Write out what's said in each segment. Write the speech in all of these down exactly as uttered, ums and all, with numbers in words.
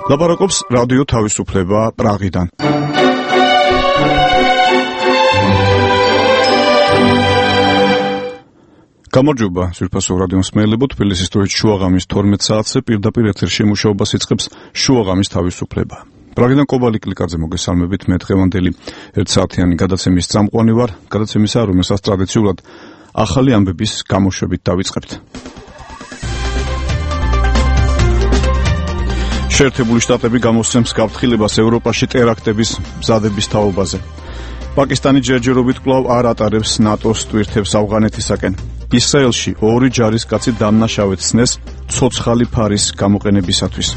ლაპარაკობს რადიო თავისუფლება პრაღიდან. გამარჯობა, ძვირფასო რადიო მსმენელებო, თბილისის დროით შუაღამის თორმეტ საათზე პირდაპირ ეთერში მუშაობას იწყებს შუაღამის თავისუფლება. პრაღიდან კობალი კლიკაძე მოგესალმებით, მე დღევანდელი ერთ საათიანი გადაცემის წამყვანი ვარ, გადაცემისა, რომელსაც ტრადიციულად ახალი ამბების გამოშვებით დავიწყებთ. შეერთებული შტატები გამოსცემს გაფრთხილებას ევროპაში ტერაქტების მზადების თაობაზე. პაკისტანი ჯერჯერობით კვლავ არ ატარებს ნატოს ტვირთებს ავღანეთისაკენ. ისრაელში ორი ჯარისკაცი დამნაშავედ სცნეს ცოცხალი ფარის გამოყენებისათვის.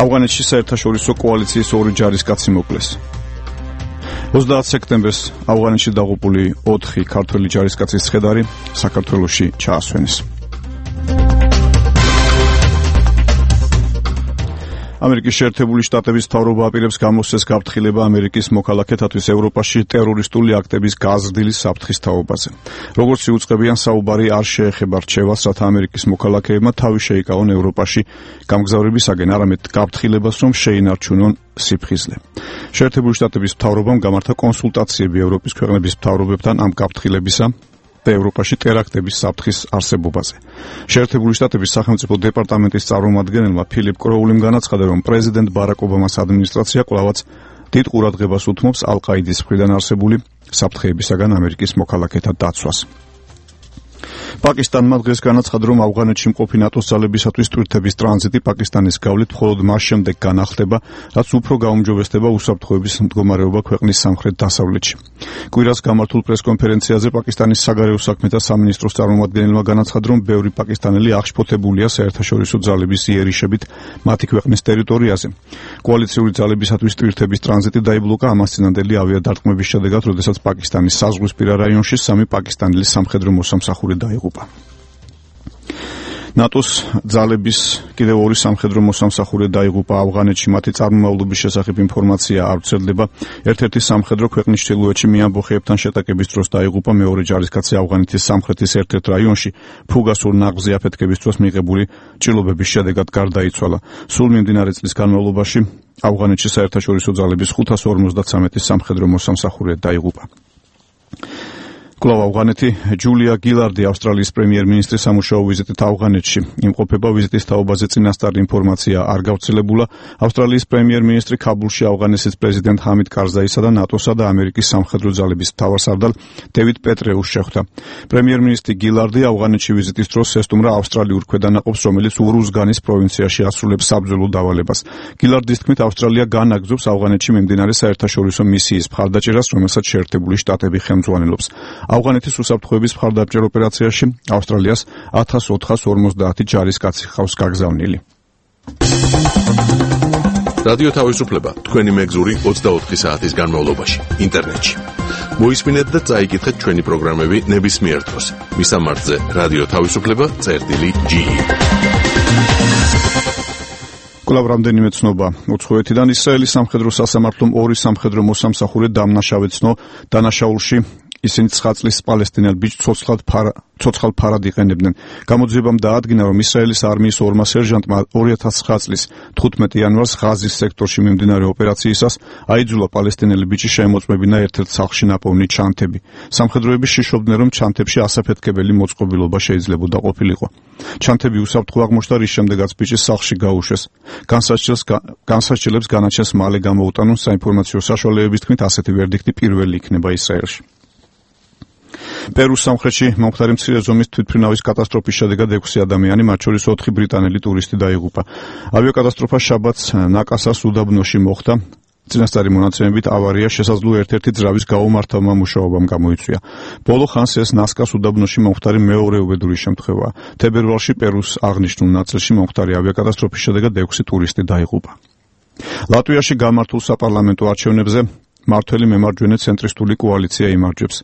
ავღანეთში საერთაშორისო კოალიციის ორი ჯარისკაცი მოკლეს. ოცდაათ სექტემბერს ავღანეთში დაღუპული ოთხი ქართველი ჯარისკაცის ცხედარი საქართველოში ჩაასვენეს. ამერიკის შეერთებული შტატების მთავრობა აპირებს გამოსცეს გაფრთხილება ამერიკის მოქალაქეთათვის ევროპაში ტერორისტული აქტების გაზრდილი საფრთხის თაობაზე. როგორც იუწყებიან, საუბარი არ შეეხება რჩევას, რათა ამერიკის მოქალაქეებმა თავი შეიკავონ ევროპაში გამგზავრებისაგან, არამედ გაფრთხილებას, რომ შეინარჩუნონ სიფხიზლე. შეერთებული შტატების მთავრობამ გამართა კონსულტაციები ევროპის ქვეყნების მთავრობებთან ამ გაფრთხილებისა და ევროპაში ტერაქტების საფრთხის არსებობაზე. შეერთებული შტატების სახელმწიფო დეპარტამენტის წარმომადგენელმა ფილიპ კროულიმ განაცხადა, რომ პრეზიდენტ ბარაკ ობამას ადმინისტრაცია კვლავაც დიდ ყურადღებას უთმობს ალ-ყაიდის მხრიდან არსებული საფრთხეებისაგან ამერიკის მოქალაქეთა დაცვას. პაკისტანმა დღეს განაცხადა, რომ ავღანეთში მყოფი ნატოს ძალებისათვის ტვირთების ტრანზიტი პაკისტანის გავლით მხოლოდ მას შემდეგ განახლდება, რაც უფრო გაუმჯობესდება უსაფრთხოების მდგომარეობა ქვეყნის სამხრეთ-დასავლეთში. კვირას გამართულ პრესკონფერენციაზე პაკისტანის საგარეო საქმეთა სამინისტროს წარმომადგენელმა განაცხადა, რომ ბევრი პაკისტანელი აღშფოთებულია საერთაშორისო ძალების იერიშებით მათი ქვეყნის ტერიტორიაზე. კოალიციური ძალებისათვის ტვირთების ტრანზიტი დაიბლოკა ამას წინანდელი ავიადარტყმების შედეგად, როდესაც პაკისტანის საზღვრისპირა რაიონში სამი პაკისტანელი სამხედრო მოსამსახური დაიღუპა. ნატოს ძალების კიდევ ორი სამხედრო მოსამსახურე დაიღუპა ავღანეთში, მათი წარმომავლობის შესახებ ინფორმაცია არ ვრცელდება. ერთ-ერთი სამხედრო ქვეყნის ჩრდილოეთში მიამბოხეებთან შეტაკების დროს დაიღუპა, მეორე ჯარისკაცი ავღანეთის სამხრეთის ერთ-ერთ რაიონში ფუგასურ ნაღზე აფეთქების დროს მიღებული ჭრილობების შედეგად გარდაიცვალა. სულ მიმდინარე წლის განმავლობაში ავღანეთში საერთაშორისო ძალების ხუთას ორმოცდათვრამეტი სამხედრო მოსამსახურე დაიღუპა. კვლავ ავღანეთი. ჯულია გილარდი, ავსტრალიის პრემიერ-მინისტრი სამუშაო ვიზიტით ავღანეთში იმყოფება. ვიზიტის თაობაზე წინასწარ ინფორმაცია არ გავრცელებულა. ავსტრალიის პრემიერ-მინისტრი ქაბულში ავღანეთის პრეზიდენტ ჰამიდ კარზაისა და ნატოსა და ამერიკის სამხედრო ძალების მთავარსარდალ დევიდ პეტრეუს შეხვდა. პრემიერ-მინისტრი გილარდი ავღანეთში ვიზიტის დროს ესტუმრა ავსტრალიურ ქვედანაყოფს, რომელიც ურუზგანის პროვინციაში ასრულებს საბრძოლო დავალებას. გილარდის თქმით, ავსტრალია განაგრძობს ავღანეთში მიმდინარე საერთაშორისო მისიის მხარდაჭერას, რომელსაც შეერთებული შტატები ხელმძღვანელობს. ავღანეთის უსაფრთხოების მხარდამჭერ ოპერაციაში ავსტრალიას ათას ოთხას ორმოცდაათი ჯარისკაცი ხავს გაგზავნილი. რადიო თავისუფლება თქვენი მეგზური ოცდაოთხი საათის განმავლობაში ინტერნეტში. მოისმინეთ და წაიკითხეთ ჩვენი პროგრამები ნებისმიერ დროს. მისამართზე რადიო თავისუფლება წერტილი ჯი. კვლავ რამდენიმე ცნობა უცხოეთიდან. ისრაელის სამხედრო სასამართლომ ორი სამხედრო მოსამსახურე დამნაშავედ ცნო დანაშაულში. ისინი ცხაწლის პალესტინელ ბიჭს ცოცხალ ფარა ცოცხალ ფარად იყენებდნენ. გამოძიებამ დაადგინა, რომ ისრაელის არმიის ორმა სერჟანტმა ორი ათას ცხრა წლის თხუთმეტი იანვარს ღაზის სექტორში მიმდინარე ოპერაციისას აიძულა პალესტინელი ბიჭი შეემოწმებინა ერთ-ერთ სახლში ნაპოვნი ჩანთები. სამხედროები შიშობდნენ, რომ ჩანთებში ასაფეთქებელი მოწყობილობა შეიძლებოდა ყოფილიყო. ჩანთები უსაფრთხო აღმოჩნდა, რის შემდეგაც ბიჭი სახლში გაუშვეს. განსაცდელს განსაცდელებს განაჩენს მალე გამოუტანონ. საინფორმაციო საშუალებების თქმით, ასეთი ვერდიქტი პირველი იქნება ისრაელში. პერუს სამხრეთში მომხდარი მცირე ზომის თვითმფრინავის კატასტროფის შედეგად ექვსი ადამიანი, მათ შორის ოთხი ბრიტანელი ტურისტი დაიღუპა. ავიაკატასტროფა შაბათს ნაკასას უდაბნოში მოხდა. წინასწარი მონაცემებით ავარია შესაძლო ერთ-ერთი ძრავის გაუმართავმა მუშაობამ გამოიწვია. ბოლო ხანს ეს ნასკას უდაბნოში მომხდარი მეორე უბედური შემთხვევაა. თებერვალში პერუს აღნიშნულ ნაწილში მომხდარი ავიაკატასტროფის შედეგად ექვსი ტურისტი დაიღუპა. ლატვიაში გამართულ საპარლამენტო არჩევნებზე მართველი მემარჯვენე ცენტრისტული კოალიცია იმარჯვებს.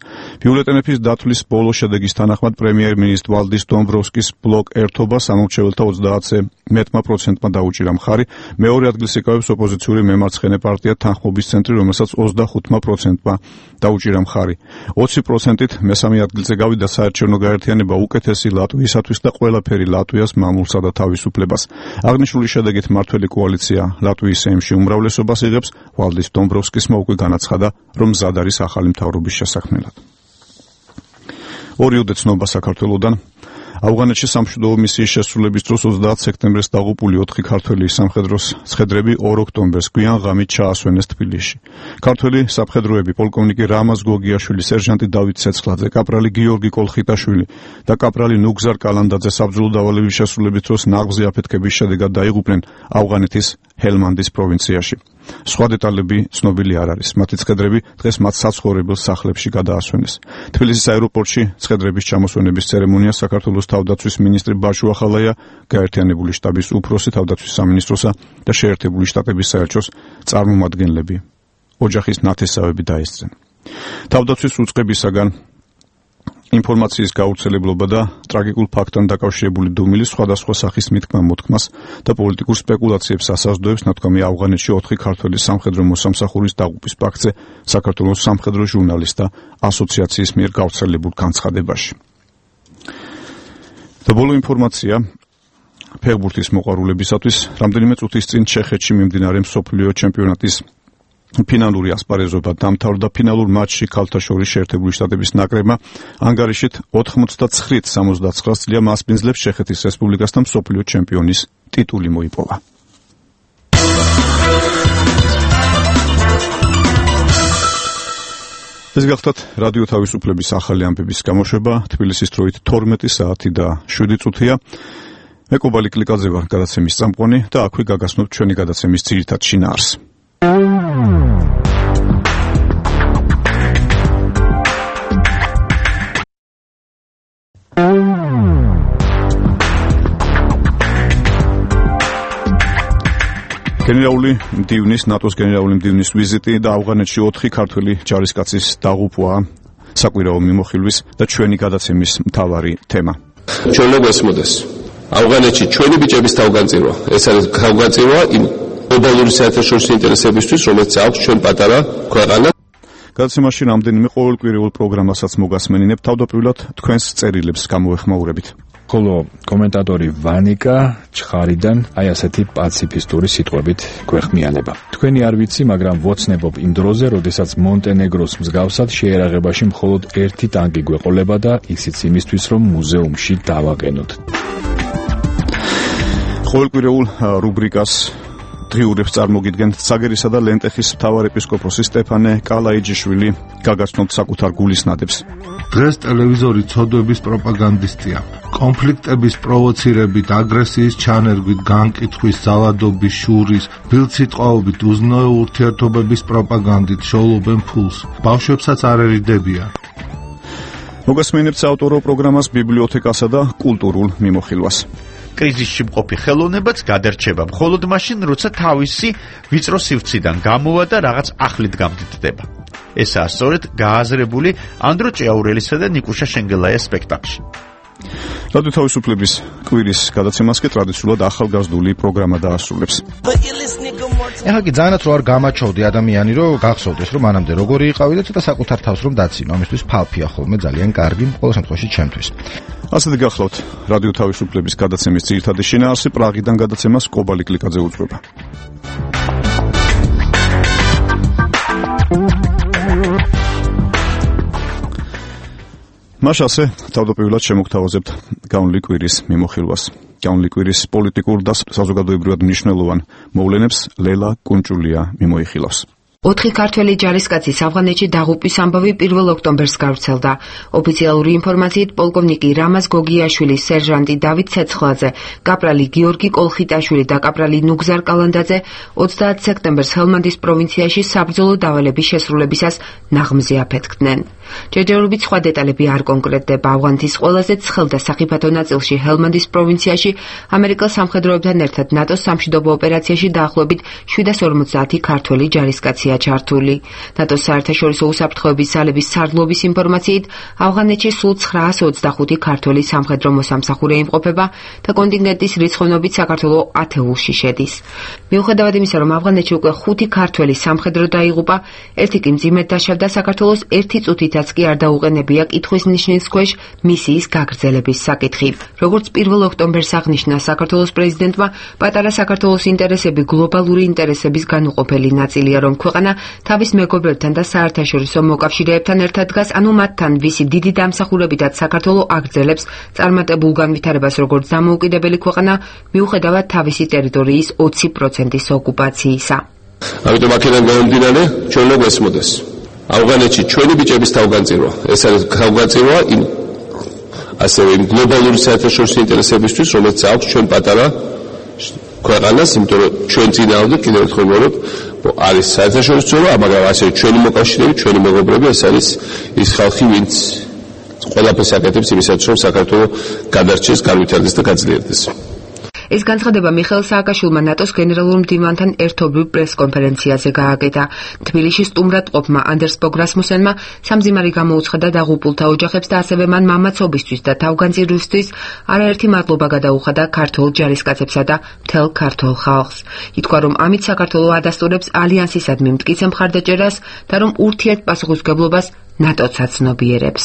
ბიულეტენების დათვლის ბოლო შედეგის თანახმად პრემიერ-მინისტრ ვალდის დომბროვსკის ბლოკ ერთობა სამომრჩეველთა ოცდაათზე მეტმა პროცენტმა დაუჭირა მხარი. მეორე ადგილს იკავებს ოპოზიციური მემარცხენე პარტია თანხმობის ცენტრი, რომელსაც ოცდახუთმა პროცენტმა დაუჭირა მხარი. ოცი პროცენტით მესამე ადგილზე გავიდა საარჩევნო გაერთიანება უკეთესი ლატვიისათვის და ყველაფერი ლატვიას მამულსა და თავისუფლებას. აღნიშნული შედეგით მართველი კოალიცია ლატვიის სეიმში უმრავლესობას იღებს. ვალდის დომბროვსკისმა უკვე განაცხადა, რომ მზად არის ახალი მთავრობის შესაქმნელად. ორი უდეცნობა საქართველოდან. ავღანეთში სამშვიდობო მისიის შესრულების დროს ოცდაათ სექტემბერს დაღუპული ოთხი ქართველი სამხედროს ცხედრები ორ ოქტომბერს გვიან ღამით ჩაასვენეს თბილისში. ქართველი სამხედროები პოლკოვნიკი რამაზ გოგიაშვილი, სერჟანტი დავით ცეცხლაძე, კაპრალი გიორგი კოლხიტაშვილი და კაპრალი ნუგზარ კალანდაძე საბრძოლო დავალების შესრულების დროს ნაღმზე აფეთქების შედეგად დაიღუპნენ ავღანეთის ჰელმანდის პროვინციაში. სხვა დეტალები ცნობილი არ არის. მათი ცხედრები დღეს მათ საცხოვრებელ სახლებში გადაასვენეს. თბილისის აეროპორტში ცხედრების ჩამოსვენების ცერემონია საქართველოს თავდაცვის მინისტრი ბაშუ ახალაია, გაერთიანებული შტაბის უფროსი თავდაცვის სამინისტროსა და შეერთებული შტატების საელჩოს წარმომადგენლები ოჯახის ნათესავები დაესწრნენ. თავდაცვის უწყებისაგან ინფორმაციის გავრცელებლობა და ტრაგიკულ ფაქტთან დაკავშირებული დუმილი სხვადასხვა სახის მითქმა-მოთქმას და პოლიტიკურ სპეკულაციებს ასაზრდოებს, ნათქვამია ავღანეთში ოთხი ქართველი სამხედრო მოსამსახურის დაღუპვის ფაქტზე საქართველოს სამხედრო ჟურნალისტთა ასოციაციის მიერ გავრცელებულ განცხადებაში. და ბოლო ინფორმაცია ფეხბურთის მოყვარულებისათვის. რამდენიმე წუთის წინ ჩეხეთში მიმდინარე მსოფლიო ჩემპიონატის ფინალური ასპარეზობა დამთავრდა. ფინალურ მატჩში ქალთა შორის შეერთებული შტატების ნაკრებმა ანგარიშით ოთხმოცდაცხრით სამოცდაცხრა წლია მასპინძლებს ჩეხეთის რესპუბლიკასთან მსოფლიო ჩემპიონის ტიტული მოიპოვა. ეს გახლავთ რადიო თავისუფლების ახალი ამბების გამოშვება. თბილისის დროით თორმეტი საათი და შვიდი წუთია. მე კობალი კლიკაძე ვარ, გადაცემის წამყვანი და აქვე გაგაცნობთ ჩვენი გადაცემის ძირითად შინაარსს. გენერალური მდივნის, ნატოს გენერალური მდივნის ვიზიტი და ავღანეთში ოთხი ქართველი ჯარისკაცის დაღუპვა საკვირაო მიმოხილვის და ჩვენი გადაცემის მთავარი თემა. ჩვენ მოგვესმოდეს. ავღანეთში ჩვენი ბიჭების თავგანწირვა. ეს არის თავგანწირვა იმ გლობალური საერთაშორისო ინტერესებისთვის, რომელიც აქვს ჩვენ პატარა ქვეყანა. გადაცემაში რამდენიმე ყოველკვირეულ პროგრამასაც მოგასმენინებ. თავდაპირველად თქვენს წერილებს გამოვეხმაურებით. ხოლო კომენტატორი ვანიკა ჩხარიდან აი ასეთი პაციფისტური სიტყვებით გვეხმიანება. თქვენი არ ვიცი, მაგრამ ვოცნებობ იმ დროზე, როდესაც მონტენეგროს მსგავსად შეერაღებაში მხოლოდ ერთი ტანკი გვეყოლება და ისიც იმისთვის, რომ მუზეუმში დავაყენოთ. ყოველკვირეულ რუბრიკას დღიურებს წარმოგიდგენთ. ცაგერისა და ლენტეხის მთავარეპისკოპოსი სტეფანე კალაიჯიშვილი გაგაცნობთ საკუთარ გულისნადებს. დღეს ტელევიზორი ცოდვების პროპაგანდისტია. კონფლიქტების პროვოცირებით, აგრესიის ჩანერგვით, განკითხვის, ზავადობის, შურის, ბილწსიტყვაობით, უზნეო ურთიერთობების პროპაგანდით შოულობენ ფულს. ბავშვებსაც არ ერიდებიან. მოგასმენებთ საავტორო პროგრამას, ბიბლიოთეკასა და კულტურულ მიმოხილვას. კრიზისში მყოფი ხელოვნებაც გადარჩება მხოლოდ მაშინ, როცა თავისი ვიწრო სივრციდან გამოვა და რაღაც ახლით გამდიდდება. ესაა სწორედ გააზრებული ანდრო ჭიაურელისა და ნიკუშა შენგელაიას სპექტაკლში. რადიო თავისუფლების კვირის გადაცემას კი ტრადიციულად ახალგაზრდული პროგრამა დაასრულებს. ეხლა კი ძალიანაც რო არ გამაჩვევდი ადამიანი, რომ გახსოვდეს, რომ მანამდე როგორი იყავი და ცოტა საკუთარ თავს რომ დაცინო. ამისთვის ფალფია ხოლმე ძალიან კარგი, ყოველ შემთხვევაში ჩემთვის. ასეთი გახლავთ რადიო თავისუფლების გადაცემის ძირითადი შინაარსი. პრაღიდან გადაცემას კობალი კლიკაძე უძღვება. მას ასე თავდაპირველად შემოგთავაზებთ განვლილი კვირის მიმოხილვას. განვლილი კვირის პოლიტიკურ და საზოგადოებრივად მნიშვნელოვან მოვლენებს ლელა კუნჭულია მიმოიხილავს. ოთხი ქართველი ჯარისკაცის ავღანეთში დაღუპვის ამბავი პირველ ოქტომბერს გავრცელდა. ოფიციალური ინფორმაციით პოლკოვნიკი რამაზ გოგიაშვილი, სერჟანტი დავით ცეცხლაძე, კაპრალი გიორგი კოლხიტაშვილი და კაპრალი ნუგზარ კალანდაძე ოცდაათ სექტემბერს ჰელმანდის პროვინციაში საბრძოლო დავალების შესრულებისას ნაღმზე აფეთქდნენ. ჯერჯერობით სხვა დეტალები არ კონკრეტდება. ავღანეთის ყველაზე ცხელ და სახიფათო ნაწილში ჰელმანდის პროვინციაში ამერიკელ სამხედროებთან ერთად ნატოს სამშვიდობო ოპერაციაში დაახლოებით შვიდას ორმოცდაათი ქართველი ჯარისკაცია ჩართული. ნატოს საერთაშორისო უსაფრთხოების ძალების სარდლობის ინფორმაციით, ავღანეთში სულ ცხრაას ოცდახუთი ქართველი სამხედრო მოსამსახურე იმყოფება და კონტინგენტის რიცხოვნობით საქართველო ათეულში შედის. მიუხედავად იმისა, რომ ავღანეთში უკვე ხუთი ქართველი სამხედრო დაიღუპა, ერთი კი მძიმედ დაშავდა, საქართველოს ერთი წუთითაც კი არ დაუყენებია კითხვის ნიშნის ქვეშ მისიის გაგრძელების საკითხი. როგორც პირველ ოქტომბერს აღნიშნა საქართველოს პრეზიდენტმა, პატარა საქართველოს ინტერესები გლობალური ინტერესების განუყოფელი ნაწილია, რომ ქვეყანა თავის მეგობრებთან და საერთაშორისო მოკავშირეებთან ერთად დგას, ანუ მათთან, ვისი დიდი დამსახურებითაც საქართველო აგრძელებს წარმატებულ განვითარებას როგორც დამოუკიდებელი ქვეყანა, მიუხედავად თავისი ტერიტორიის ოცი პროცენტის ოკუპაციისა. ამიტომ აქედან გამომდინარე, ჩვენ უნდა გვესმოდეს. ავღანეთში ჩვენი ბიჭების თავგანწირვა, ეს არის თავგანწირვა იმ ასევე იმ გლობალური საერთაშორისო ინტერესებისთვის, რომელიც აქვს ჩვენ პატარა ქვეყანას, იმიტომ რომ ჩვენ წინააღმდეგ კიდევ ერთხელ ვიმეორებ, არის საერთაშორისო ზონა, მაგრამ ასევე ჩვენი მოკავშირეები, ჩვენი მეგობრები, ეს არის ის ხალხი, ვინც ყველაფერს აკეთებს იმისათვის, რომ საქართველო გადარჩეს, განვითარდეს და გაძლიერდეს. ეს განცხადება მიხეილ სააკაშვილმა ნატოს გენერალურ მდივანთან ერთობრივ პრესკონფერენციაზე გააკეთა. თბილისში სტუმრად ყოფმა ანდერს ბოგ რასმუსენმა სამძიმარი გამოუცხადა დაღუპულთა ოჯახებს და ასევე მან მამაცობისთვის და თავგანწირვისთვის არაერთი მადლობა გადაუხადა ქართველ ჯარისკაცებსა და მთელ ქართველ ხალხს. ითქვა, რომ ამით საქართველო ადასტურებს ალიანსისადმი მტკიცე მხარდაჭერას და რომ ურთიერთპასუხისმგებლობას ნატოც აცნობიერებს.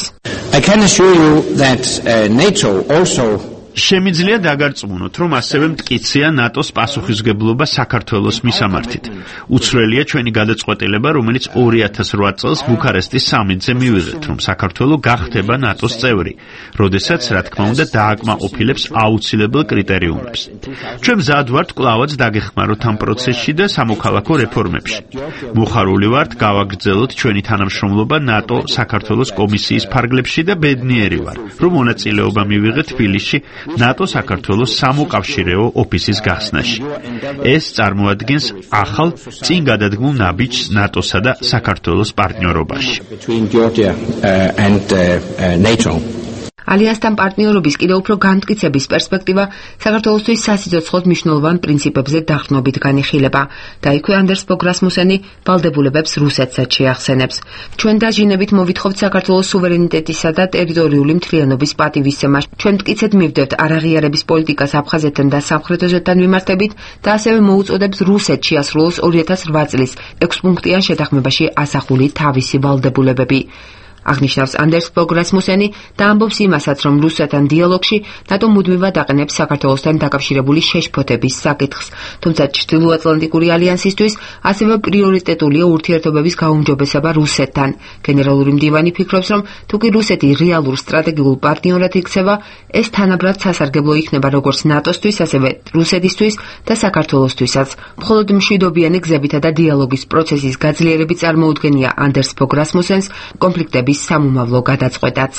I can assure you that uh, NATO also შემიძლია დაგარწმუნოთ, რომ ასევე მტკიცეა ნატოს პასუხისმგებლობა საქართველოს მისამართით. უცვლელია ჩვენი გადაწყვეტილება, რომელიც ორი ათას რვა წელს ბუქარესტის სამიტზე მივიღეთ, რომ საქართველო გახდება ნატოს წევრი, როდესაც, რა თქმა უნდა, დააკმაყოფილებს აუცილებელ კრიტერიუმებს. ჩვენ მზად ვართ კვლავაც დაგეხმაროთ ამ პროცესში და სამოქალაქო რეფორმებში. მოხარული ვართ გავაგრძელოთ ჩვენი თანამშრომლობა ნატო საქართველოს კომისიის ფარგლებში და ბედნიერი ვარ, რომ მონაწილეობა მივიღეთ თბილისში ნატო საქართველოს სამოკავშირეო ოფისის გახსნაში. ეს წარმოადგენს ახალ წინ გადადგმულ ნაბიჯს ნატოსა და საქართველოს პარტნიორობაში. ალიანსთან პარტნიორობის კიდევ უფრო განმტკიცების პერსპექტივა საქართველოსთვის სასიცოცხლოდ მნიშვნელოვან პრინციპებზე დაყრდნობით განიხილება. დაიქვე ანდერს ბოგ რასმუსენი ვალდებულებებს რუსეთსაც შეახსენებს. ჩვენ დაჟინებით მოვითხოვთ საქართველოს სუვერენიტეტისა და ტერიტორიული მთლიანობის პატივისცემას. ჩვენ მტკიცედ მივდევთ არაღიარების პოლიტიკას აფხაზეთთან და სამხრეთ ოზეთთან მიმართებით და ასევე მოუწოდებთ რუსეთს შეასრულოს ორი ათას რვა წლის ექვსპუნქტიან შეთანხმებაში ასახული თავისი ვალდებულებები. აღნიშნავს ანდერს ბოგ რასმუსენი და ამბობს იმასაც, რომ რუსეთთან დიალოგში ნატო მუდმივად აყენებს საქართველოსთან დაკავშირებული შეშფოთების საკითხს, თუმცა ჩრდილოატლანტიკური ალიანსისთვის ასევე პრიორიტეტულია ურთიერთობების გაუმჯობესება რუსეთთან. გენერალური მდივანი ფიქრობს, რომ თუკი რუსეთი რეალურ სტრატეგიულ პარტნიორად იქცევა, ეს თანაბრად სასარგებლო იქნება როგორც ნატოსთვის, ასევე რუსეთისთვის და საქართველოსთვისაც. მხოლოდ მშვიდობიანი გზებითა და დიალოგის პროცესის გაძლიერებით წარმოუდგენია ანდერს ბოგ რასმუსენს კონფლიქტების სამომავლო გადაწყვეტაც.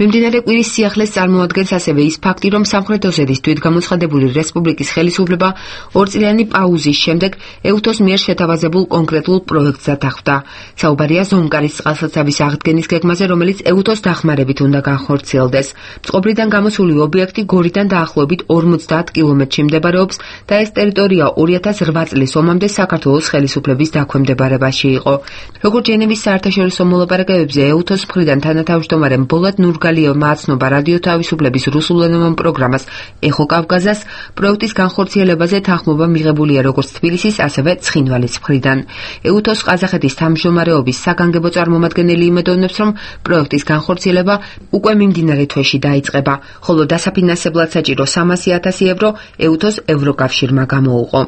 მიმდინარე კვირის სიახლეს წარმოადგენს ასევე ის ფაქტი, რომ სამხრეთ ოსეთის თვითგამოცხადებული რესპუბლიკის ხელისუფლება ორწლიანი პაუზის შემდეგ ეუთოს მიერ შეთავაზებულ კონკრეტულ პროექტს დათანხმდა. საუბარია ზონკარის წყალსაცავის აღდგენის გეგმაზე, რომელიც ეუთოს დახმარებით უნდა განხორციელდეს. წყობრიდან გამოსული ობიექტი გორიდან დაახლოებით ორმოცდაათ კილომეტრში მდებარეობს და ეს ტერიტორია ორი ათას რვა წლის ომამდე საქართველოს ხელისუფლების დაქვემდებარებაში იყო. როგორც ჟენევის საერთაშორისო მოლაპარაკებებზე ეუთოს მხრიდან თანათავმჯდომარე ბოლად ნურგალიევმა აცნობა რადიო თავისუფლების რუსულენოვან პროგრამას ეხო კავკაზას, პროექტის განხორციელებაზე თანხმობა მიღებულია როგორც თბილისის, ასევე ცხინვალის მხრიდან. ეუთოს ყაზახეთის თავმჯდომარეობის საგანგებო წარმომადგენელი იმედოვნებს, რომ პროექტის განხორციელება უკვე მიმდინარე თვეში დაიწყება, ხოლო დასაფინანსებლად საჭირო სამასი ათასი ევრო ეუთოს ევროკავშირმა გამოუყო.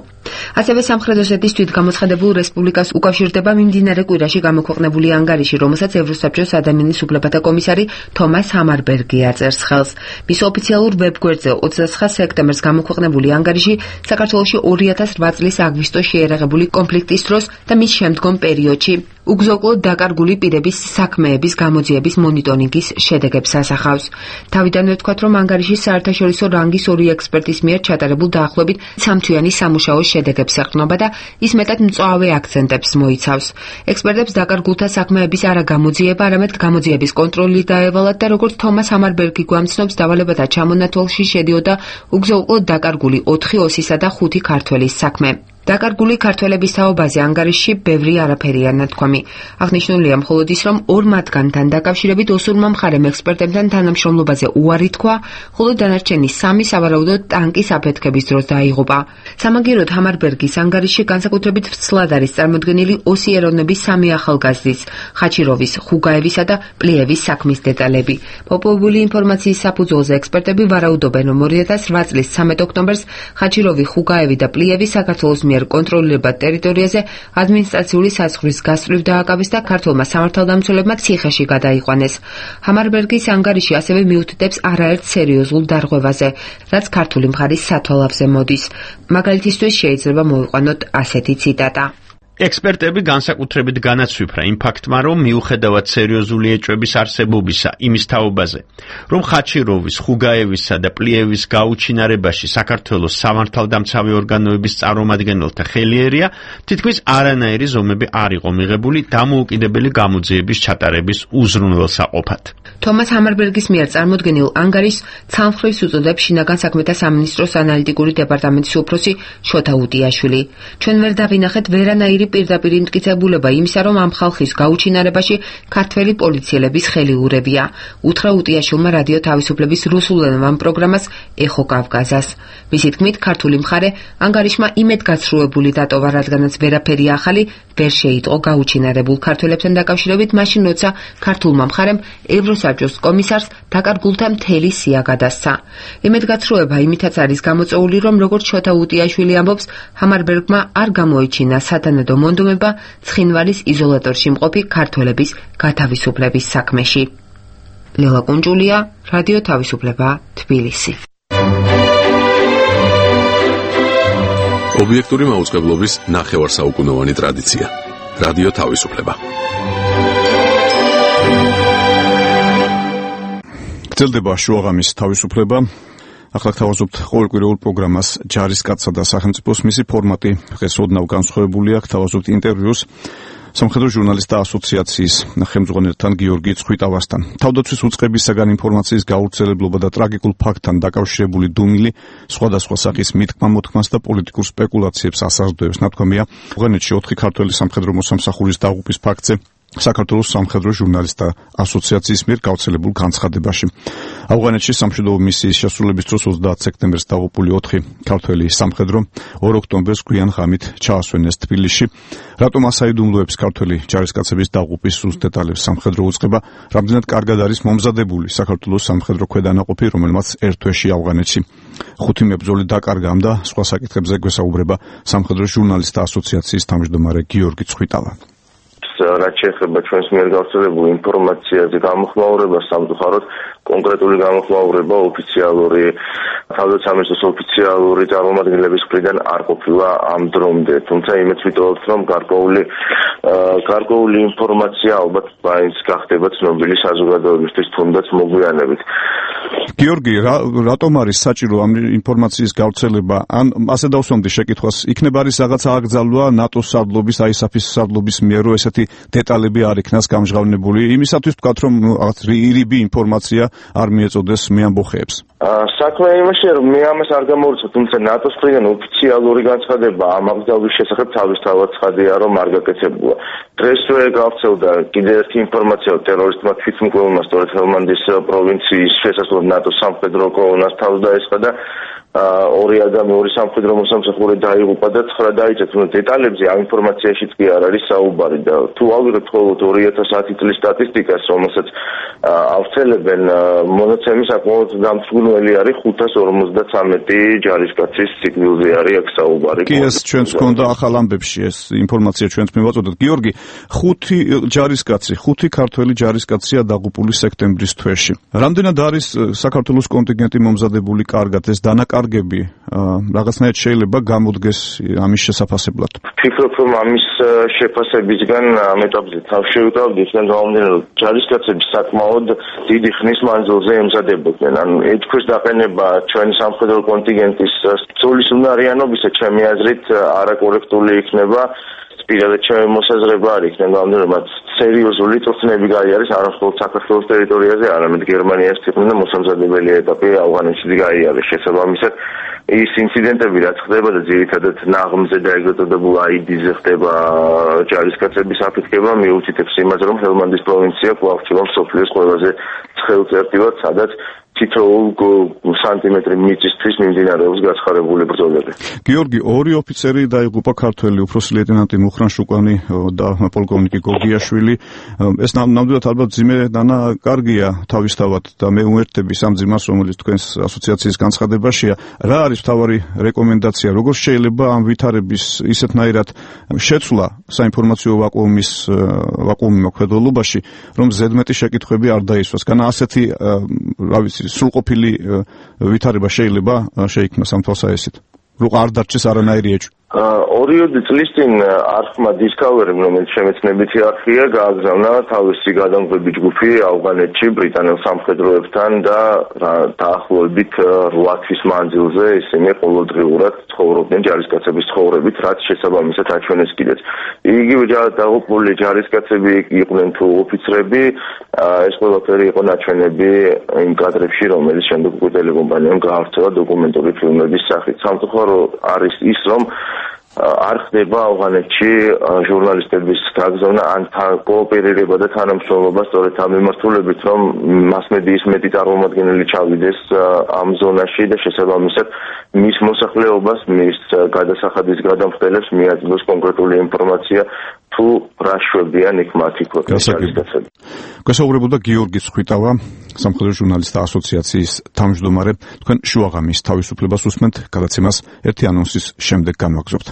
ასევე სამხრეთ ოსეთის თვითგამოცხადებულ რესპუბლიკას უკავშირდება მიმდინარე კვირაში გამოქვეყნებული ანგარიში, რომელსაც ევროსაბჭოს ადამიანის უფლებათა კომისარი თომას ჰამარბერგი აწერს ხელს. მის ოფიციალურ ვებგვერდზე ოცდაცხრა სექტემბერს გამოქვეყნებული ანგარიში საქართველოში ორი ათას რვა წლის აგვისტოში შეერაღებული კონფლიქტის დროს და მის შემდგომ პერიოდში უგზო-უკლოდ დაკარგული პირების საქმეების გამოძიების მონიტორინგის შედეგებს ასახავს. თავიდანვე ვთქვათ, რომ ანგარიში საერთაშორისო რანგის ორი ექსპერტის მიერ ჩატარებულ დაახლოებით სამთვიანი სამუშაოს შედეგებს ეყრდნობა და ის მეტად მწვავე აქცენტებს მოიცავს. ექსპერტებს დაკარგულთა საქმეების არა გამოძიება, არამედ გამოძიების კონტროლი დაევალათ და როგორც თომას ჰამარბერგი გვამცნობს, დავალებათა ჩამონათვალში შედიოდა უგზო-უკლოდ დაკარგული ოთხი ოსისა და ხუთი ქართველის საქმე. დაკარგული ქართველების თაობაზე ანგარიშში ბევრი არაფერია ნათქვამი. აღნიშნულია მხოლოდ ის, რომ ორ მათგანთან დაკავშირებით ოსურმა მხარემ ექსპერტებთან თანამშრომლობაზე უარი თქვა, ხოლო დანარჩენი სამი სავარაუდოდ ტანკის აფეთქების დროს დაიღუპა. სამაგიეროდ ჰამარბერგის ანგარიშში განსაკუთრებით ვცლად არის წარმოდგენილი ოსი ეროვნების სამი ახალგაზრდის, ხაჩიროვის, ხუგაევისა და პლიევის საქმის დეტალები. მოპოვებული ინფორმაციის საფუძველზე ექსპერტები ვარაუდობენ, რომ ორი ათას რვა წლის ცამეტ ოქტომბერს ხაჩიროვი, ხუგაევი და პლიევი საქართველოს მიერ კონტროლირებად ტერიტორიაზე ადმინისტრაციული საზღვრის გასწვრივ დააკავეს და ქართულმა სამართალდამცველებმა ციხეში გადაიყვანეს. ჰამარბერგის ანგარიში ასევე მიუთითებს არაერთ სერიოზულ დარღვევაზე, რაც ქართული მხარის სათვალავზე მოდის. მაგალითისთვის შეიძლება მოვიყვანოთ ასეთი ციტატა. ექსპერტები განსაკუთრებით განაცვიფრა იმ ფაქტმა, რომ მიუხედავად სერიოზული ეჭვების არსებობისა იმის თაობაზე, რომ ხაჩიროვის, ხუგაევისა და პლიევის გაუჩინარებაში საქართველოს სამართალდამცავი ორგანოების წარმომადგენელთა ხელი ერია, თითქმის არანაირი ზომები არ იყო მიღებული დამოუკიდებელი გამოძიების ჩატარების უზრუნველსაყოფად. თომას ჰამარბერგის მიერ წარმოდგენილ ანგარიშს ცალმხრივს უწოდებს შინაგან საქმეთა სამინისტროს ანალიტიკური დეპარტამენტის უფროსი შოთა უტიაშვილი. ჩვენ ვერ დავინახეთ ვერანაირი პირდაპირ იმტკიცებულება იმისა, რომ ამ ხალხის გაუჩინარებაში ქართველი პოლიციელების ხელი ურევია. უთხრა უტიაშვილმა რადიო თავისუფლების რუსულენოვან პროგრამას ეხო კავკაზას. მისი თქმით, ქართული მხარე ანგარიშმა იმედგაცრუებული დატოვა, რადგანაც ვერაფერი ახალი ვერ შეიტყო გაუჩინარებულ ქართველებთან დაკავშირებით, მაშინ როცა ქართულმა მხარემ ევროსაბჭოს კომისარს დაკარგულთა მთელი სია გადასცა. იმედგაცრუება იმითაც არის გამოწვეული, რომ როგორც შოთა უტიაშვილი ამბობს, ჰამარბერგმა არ გამოიჩინა სათანადო მონდომება ცხინვალის იზოლატორში მყოფი ქართველების გათავისუფლების საქმეში. ლელა კუნჯულია, რადიო თავისუფლება, თბილისი. ობიექტური მაუწყებლობის ნახევარსაუკუნოვანი ტრადიცია. რადიო თავისუფლება. გრძელდება შუაღამის თავისუფლება. ახლა გთავაზობთ ყოველკვირეულ პროგრამას ჯარისკაცსა და სახელმწიფოს. მისი ფორმატი დღეს ოდნავ განსხვავებულია. გთავაზობთ ინტერვიუს სამხედრო ჟურნალისტთა ასოციაციის ხელმძღვანელთან გიორგი ცხვიტავასთან. თავდაცვის უწყებისაგან ინფორმაციის გავრცელებლობა და ტრაგიკულ ფაქტთან დაკავშირებული დუმილი სხვადასხვა სახის მითქმა-მოთქმას და პოლიტიკურ სპეკულაციებს ასაზრდოებს. ნათქვამია, ავღანეთში ოთხი ქართველი სამხედრო მოსამსახურის დაღუპვის ფაქტზე საქართველოს სამხედრო ჟურნალისტთა ასოციაციის მიერ გავრცელებულ განცხადებაში. ავღანეთში სამშვიდობო მისიის შესრულების დროს ოცდაათ სექტემბერს დაღუპული ოთხი ქართველი სამხედრო ორ ოქტომბერს გვიან ღამით ჩაასვენეს თბილისში. რატომ ასაიდუმლოებს ქართველი ჯარისკაცების დაღუპვის სულ დეტალებს სამხედრო უწყება, რამდენად კარგად არის მომზადებული საქართველოს სამხედრო ქვედანაყოფი, რომელმაც ერთ თვეში ავღანეთში ხუთი მებრძოლი დაკარგა და სხვა საკითხებზე გვესაუბრება სამხედრო ჟურნალისტთა ასოციაციის თავმჯდომარე გიორგი ცხვიტავა. რაც შეეხება ჩვენს მიერ გავრცელებულ ინფორმაციაზე გამოხმაურება, სამწუხაროდ კონკრეტული გამოხმაურება ოფიციალური თავდაცვის ოფიციალური წარმომადგენლების მხრიდან არ ყოფილა ამ დრომდე. თუმცა იმეც ვიტოვებთ, რომ გარკვეული გარკვეული ინფორმაცია ალბათ მაინც გახდება ცნობილი საზოგადოებისთვის, თუნდაც მოგვიანებით. გიორგი, რატომ არის საჭირო ამ ინფორმაციის გავრცელება? ან ასე დავსვამდი შეკითხვას, იქნება არის რაღაცა აკრძალვა ნატოს სარდლობის, აისაფის სარდლობის მიერ, რომ ესეთი დეტალები არ იქნას გამჟღავნებული, იმისათვის ვთქვათ, რომ რაღაც რიბი ინფორმაცია არ მიეწოდეს მეამბოხეებს. საქმე იმაშია, რომ მე ამას არ გამოვიცოთ, თუმცა ნატოს მხრიდან ოფიციალური განცხადება ამ აკრძალვის შესახებ თავისთავად ცხადია, რომ არ გაკეთებულა. დღესვე გავრცელდა კიდევ ერთი ინფორმაცია, ტერორისტმა თვითმკვლელმა სწორედ ჰელმანდის პროვინციის შესაძლებლად ნატოს სამხედრო კოლონას თავს დაესხა და ორი ადამიანი, ორი სამხედრო მოსამსახური დაიღუპა და ცხრა დაიცეთ. დეტალებზე ამ ინფორმაციაშიც კი არ არის საუბარი და თუ ავიღებთ მხოლოდ ორი ათას ათი წლის სტატისტიკას, რომელსაც ავრცელებენ, მონაცემი საკმაოდ დამსგუნველი არის ხუთას ორმოცდათვრამეტი ჯარისკაცის სიგნალზე არის აქ საუბარი. კი, ეს ჩვენს გქონდა ახალ ამბებში, ეს ინფორმაცია ჩვენც მივაწოდოთ. გიორგი, ხუთი ჯარისკაცი, ხუთი ქართველი ჯარისკაცია დაღუპული სექტემბრის თვეში. რამდენად არის საქართველოს კონტინგენტი მომზადებული კარგად, ეს დანაკარგ კარგები რაღაცნაირად შეიძლება გამოდგეს ამის შესაფასებლად. ვფიქრობ, რომ ამის შეფასებისგან ამ ეტაპზე თავს შევიტანდი, იქიდან გამომდინარე, რომ ჯარისკაცები საკმაოდ დიდი ხნის მანძილზე ემზადებოდნენ. ანუ ეთქვის დაყენება ჩვენი სამხედრო კონტინგენტის სწულის უნარიანობისა, ჩემი აზრით, არაკორექტული იქნება. პირადად ჩემი მოსაზრება არის, იქიდან გამომდინარე, რომ სერიოზული წვრთნები გაიარეს არა მხოლოდ საქართველოს ტერიტორიაზე, არამედ გერმანიას თვითონ და მოსამზადებელი ეტაპი ავღანეთში გაიარეს. შესაბამისად, ის ინციდენტები რაც ხდება და ძირითადად ნაღმზე და ეგრეთ წოდებულ აიდიზე ხდება ჯარისკაცების აფეთქება, მიუთითებს იმაზე, რომ ჰელმანდის პროვინცია კვლავ რჩება მსოფლიოს ყველაზე ცხელ წერტილად, სადაც თითოეულ სანტიმეტრი მიწისთვის მიმდინარეობს გაცხარებული ბრძოლები. გიორგი, ორი ოფიცერი დაიღუპა ქართველი, უფროსი ლეიტენანტი მუხრან შუკანი და პოლკოვნიკი გოგიაშვილი. ეს ნამდვილად ალბათ ძიმე დანა კარგია თავისთავად და მე უერთდები სამ ძიმას, რომელიც თქვენს ასოციაციის განცხადებაშია. რა არის მთავარი რეკომენდაცია, როგორ შეიძლება ამ ვითარების ისეთნაირად შეცვლა საინფორმაციო ვაკუუმის ვაკუუმი მოქმედებობაში, რომ ზედმეტი შეკითხვები არ დაისვას. განა ასეთი რა ვიცი სრულყოფილი ვითარება შეიძლება შეიქმნას ამ თვალსაჩინოდ. რო არ დარჩეს არანაირი ეჭვი. ორიოდე წლის წინ არხმა Discovery, რომელიც შემეცნებითი არხია, გააგზავნა თავისი გადამღები ჯგუფი ავღანეთში ბრიტანელ სამხედროებთან და დაახლოებით რვა თვის მანძილზე ისინი ყოველდღიურად ცხოვრობდნენ ჯარისკაცების ცხოვრებით, რაც შესაბამისად აჩვენეს კიდეც. იგივე დაღუპული ჯარისკაცები იყვნენ თუ ოფიცრები, ეს ყველაფერი იყო ნაჩვენები იმ კადრებში, რომელიც შემდეგ უკვე ტელეკომპანიამ გაავრცელა დოკუმენტური ფილმების სახით. სამწუხარო არის ის, რომ არ ხდება ავღანეთში ჟურნალისტების გაგზავნა ან კოოპერირება და თანამშრომლობა სწორედ ამ მიმართულებით, რომ მასმედიის მეტი წარმომადგენელი ჩავიდეს ამ ზონაში და შესაბამისად მის მოსახლეობას, მის გადასახადის გადამხდელებს მიაწოდოს კონკრეტული ინფორმაცია თუ რა შვებიან იქ მათი კოოპერაციები. გასაუბრებოდა გიორგი ცხვიტავა, სამხედრო ჟურნალისტთა ასოციაციის თავმჯდომარე. თქვენ შუაღამის თავისუფლებას უსმენთ, გადაცემას ერთი ანონსის შემდეგ განვაგრძობთ.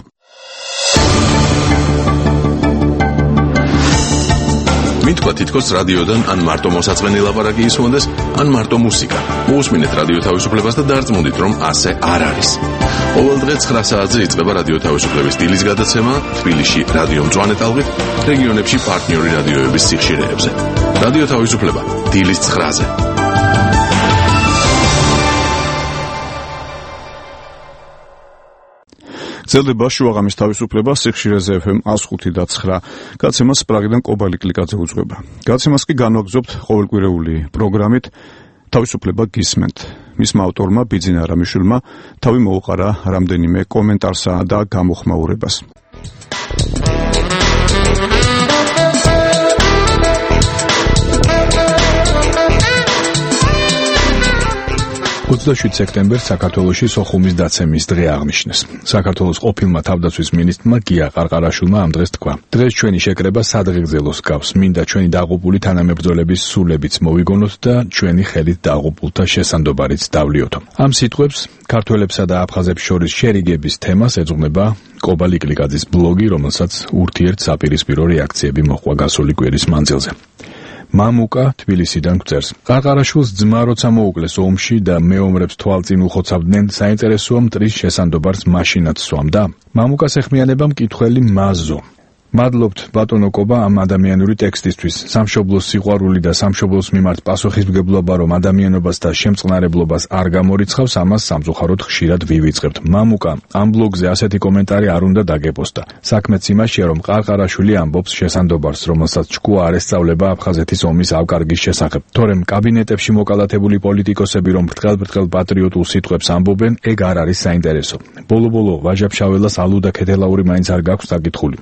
მითქვა თითქოს რადიოდან ან მარტო მოსაწყენი ლაპარაკი ისმონდეს, ან მარტო მუსიკა. მოусმინეთ რადიო თავისუფლებას და დარწმუნდით, რომ ასე არ არის. ყოველ დღე ცხრა საათზე იწყება რადიო თავისუფლების დილის გადაცემა თბილისში რადიო მწვანე ტალღით, რეგიონებში პარტნიორი რადიოების სიხშირეებზე. რადიო თავისუფლება დილის ცხრაზე. გრძელდება შუაღამის თავისუფლება სიხშირეზე ეფ ემ ას ხუთი და ცხრა. გადაცემას პრაღიდან კობალი კლიკაძე უძღვება. გადაცემას კი განვაგრძობთ ყოველკვირეული პროგრამით თავისუფლება გისმენთ. მისმა ავტორმა ბიძინა არამიშვილმა თავი მოუყარა რამდენიმე კომენტარსა და გამოხმაურებას. ოცდაშვიდ სექტემბერს საქართველოში სოხუმის დაცემის დღე აღნიშნეს. საქართველოს ყოფილმა თავდაცვის მინისტრმა გია ყარყარაშვილმა ამ დღეს თქვა: დღეს ჩვენი შეკრება სადღეგრძელოს გავს, მინდა ჩვენი დაღუპული თანამებრძოლების სულებიც მოვიგონოთ და ჩვენი ხელით დაღუპულთა შესანდობარიც დავლიოთო. ამ სიტყვებს ქართველებსა და აფხაზებს შორის შერიგების თემას ეძღვნება კობალი კლიკაძის ბლოგი, რომელსაც ურთიერთ-საპირისპირო რეაქციები მოჰყვა გასული კვირის მანძილზე. მამუკა თბილისიდან გვწერს: ყარყარაშვილს ძმა როცა მოუკლეს ომში და მეომრებს თვალწინ უხოცავდნენ, საინტერესოა მტრის შესანდობარს მაშინაც სვამდა. მამუკას ეხმიანება მკითხველი მაზო. მადლობთ ბატონო კობა ამ ადამიანური ტექსტისთვის. სამშობლოს სიყვარული და სამშობლოს მიმართ პასუხისმგებლობა რომ ადამიანობას და შემწყნარებლობას არ გამორიცხავს, ამას სამწუხაროდ ხშირად ვივიწყებთ. მამუკა, ამ ბლოგზე ასეთი კომენტარი არ უნდა დაგეპოსტა. საქმეც იმაშია, რომ ყარყარაშვილი ამბობს შესანდობარს, რომელსაც ჭკუა არ ესწავლება აფხაზეთის ომის ავკარგის შესახებ. თორემ კაბინეტებში მოკალათებული პოლიტიკოსები რომ ბრტყელ-ბრტყელ პატრიოტულ სიტყვებს ამბობენ, ეგ არ არის საინტერესო. ბოლო-ბოლო ვაჟა-ფშაველას ალუ და ქეთელაური მაინც არ გაქვს დაკითხული.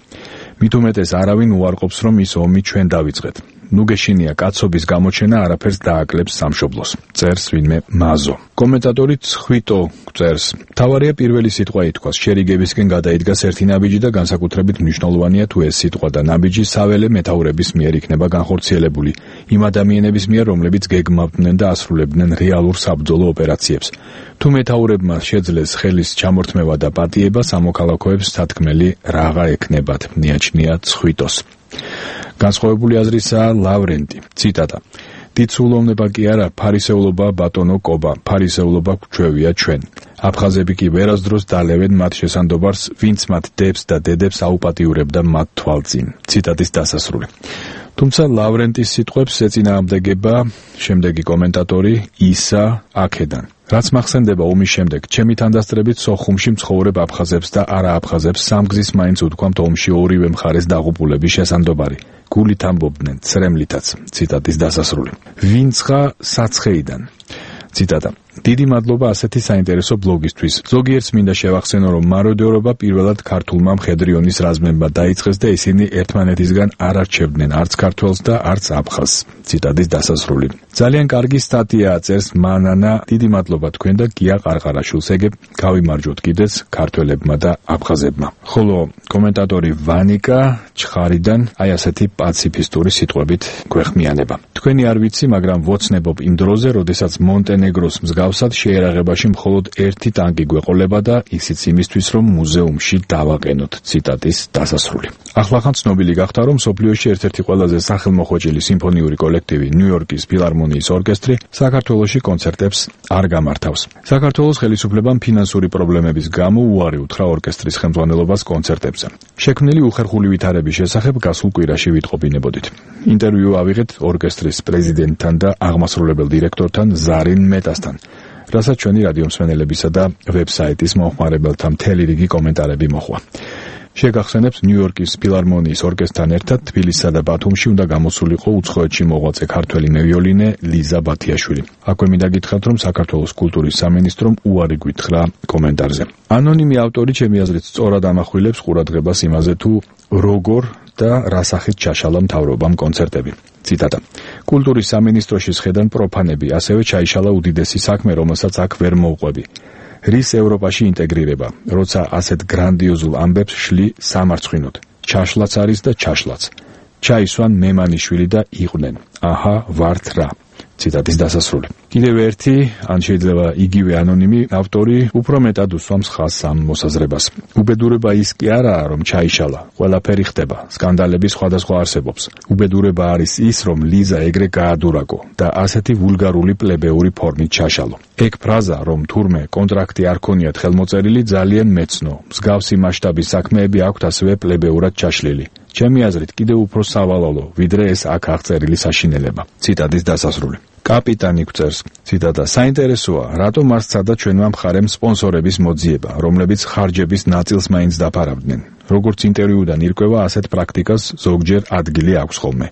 მით უმეტეს არავინ უარყოფს, რომ ის ომი ჩვენ დავიწყეთ. ნუ გეშინია კაცობის გამოჩენა არაფერს დააკლებს სამშობლოს. წერს ვინმე მაზო. კომენტატორი ცხვიტო წერს: თავარია პირველი სიტყვა ითქვას, შერიგებისკენ გადაიდგას ერთი ნაბიჯი და განსაკუთრებით მნიშვნელოვანია თუ ეს სიტყვა და ნაბიჯი საველე მეთაურების მიერ იქნება განხორციელებული, იმ ადამიანების მიერ, რომლებიც გეგმავდნენ და ასრულებდნენ რეალურ საბრძოლო ოპერაციებს. თუ მეთაურებმა შეძლეს ხელის ჩამორთმევა და პატიება, სამოქალაქოებს სათქმელი რაღა ექნებათ, მიაჩნია ცხვიტოს. განსხვავებული აზრისაა ლავრენტი. ციტატა: დიდ სულოვნება კი არა, ფარისეულობა ბატონო კობა, ფარისეულობა გვჩვევია ჩვენ. აფხაზები კი ვერასდროს დალევენ მათ შესანდობარს, ვინც მათ დებს და დედებს აუპატიურებდა მათ თვალწინ. ციტატის დასასრული. თუმცა ლავრენტის სიტყვებს ეწინააღმდეგება შემდეგი კომენტატორი ისა აქედან. რაც მახსენდება ომის შემდეგ, ჩემი თანდასწრებით სოხუმში მცხოვრებ აფხაზებს და არააფხაზებს სამგზის მაინც უთქვამთ ომში ორივე მხარეს დაღუპულების შესანდობარი. გულით ამბობდნენ, ცრემლითაც. ციტატის დასასრული. ვინცხა საცხეიდან. ციტატა. დიდი მადლობა ასეთი საინტერესო ბლოგისთვის. ზოგიერთს მინდა შევახსენო, რომ მაროდერობა პირველად ქართულმა მხედრიონის რაზმებმა დაიწყეს და ისინი ერთმანეთისგან არ არჩევდნენ არც ქართველს და არც აფხაზს. ციტატის დასასრული. ძალიან კარგი სტატია წერს მანანა. დიდი მადლობა თქვენ და გია ყარყარაშვილს. ეგებ გავიმარჯვოთ კიდეც ქართველებმა და აფხაზებმა. ხოლო კომენტატორი ვანიკა ჩხარიდან აი ასეთი პაციფისტური სიტყვებით გვეხმიანება. თქვენი არ ვიცი, მაგრამ ვოცნებობ იმ დროზე, როდესაც მონტენეგროს მსგავსად შეერაღებაში მხოლოდ ერთი ტანკი გვეყოლება და ისიც იმისთვის, რომ მუზეუმში დავაყენოთ. ციტატის დასასრული. ახლახან ცნობილი გახდა, რომ მსოფლიოში ერთ-ერთი ყველაზე სახელმოხვეჭილი სიმფონიური კოლექტივი ნიუ-იორკის ფილარმონიის ორკესტრი საქართველოში კონცერტებს არ გამართავს. საქართველოს ხელისუფლებამ ფინანსური პრობლემების გამო უარი უთხრა ორკესტრის ხელმძღვანელობას კონცერტებზე. შექმნილი უხერხული ვითარების შესახებ გასულ კვირაში ვიტყობინებოდით. ინტერვიუ ავიღეთ ორკესტრის პრეზიდენტთან და აღმასრულებელ დირექტორთან ზარინ მეტასთან, რასაც ჩვენი რადიო მსმენელებისა და ვებსაიტის მომხმარებელთა მთელი რიგი კომენტარები მოჰყვა. შეგახსენებთ, ნიუ-იორკის ფილარმონიის ორკესტრთან ერთად თბილისსა და ბათუმში უნდა გამოსულიყო უცხოეთში მოღვაწე ქართველი მევიოლინე ლიზა ბათიაშვილი. აქვე მინდა გითხრათ, რომ საქართველოს კულტურის სამინისტრომ უარი გვითხრა კომენტარზე. ანონიმი ავტორი ჩემი აზრით სწორად ამახვილებს ყურადღებას იმაზე, თუ როგორ და რა სახით ჩაშალა მთავრობამ კონცერტები. ციტატა. კულტურის სამინისტროში შედან პროფანები, ასევე ჩაიშალა უდიდესი საქმე, რომელსაც აქ ვერ მოვყვები. რის ევროპაში ინტეგრირება, როცა ასეთ გრანდიოზულ ამბებს შლი სამარცხვინოდ. ჩაშლაც არის და ჩაშლაც. ჩაისვან მემანიშვილი და იყვნენ. აჰა, ვართ რა. ციტატის დასასრული. კიდევ ერთი, ან შეიძლება იგივე ანონიმი ავტორი უფრო მეტად უსვამს ხაზს ამ მოსაზრებას. უბედურება ის კი არაა, რომ ჩაიშალა, ყველაფერი ხდება, სკანდალები სხვადასხვა არსებობს. უბედურება არის ის, რომ ლიზა ეგრე გაადურაკო და ასეთი ვულგარული პლებეური ფორმით ჩაშალო. ეგ ფრაზა, რომ თურმე კონტრაქტი არ ქონიათ ხელმოწერილი, ძალიან მეცნო. მსგავსი მასშტაბის საქმეები აქვთ ასევე პლებეურად ჩაშლილი. ჩემი აზრით კიდევ უფრო სავალალო, ვიდრე ეს აქ აღწერილი საშინელება. ციტატის დასასრული. კაპიტანი გვწერს, ციტატა, საინტერესოა, რატომ არ სცადა ჩვენმა მხარემ სპონსორების მოძიება, რომლებიც ხარჯების ნაწილს მაინც დაფარავდნენ. როგორც ინტერვიუდან ირკვევა, ასეთ პრაქტიკას ზოგჯერ ადგილი აქვს ხოლმე.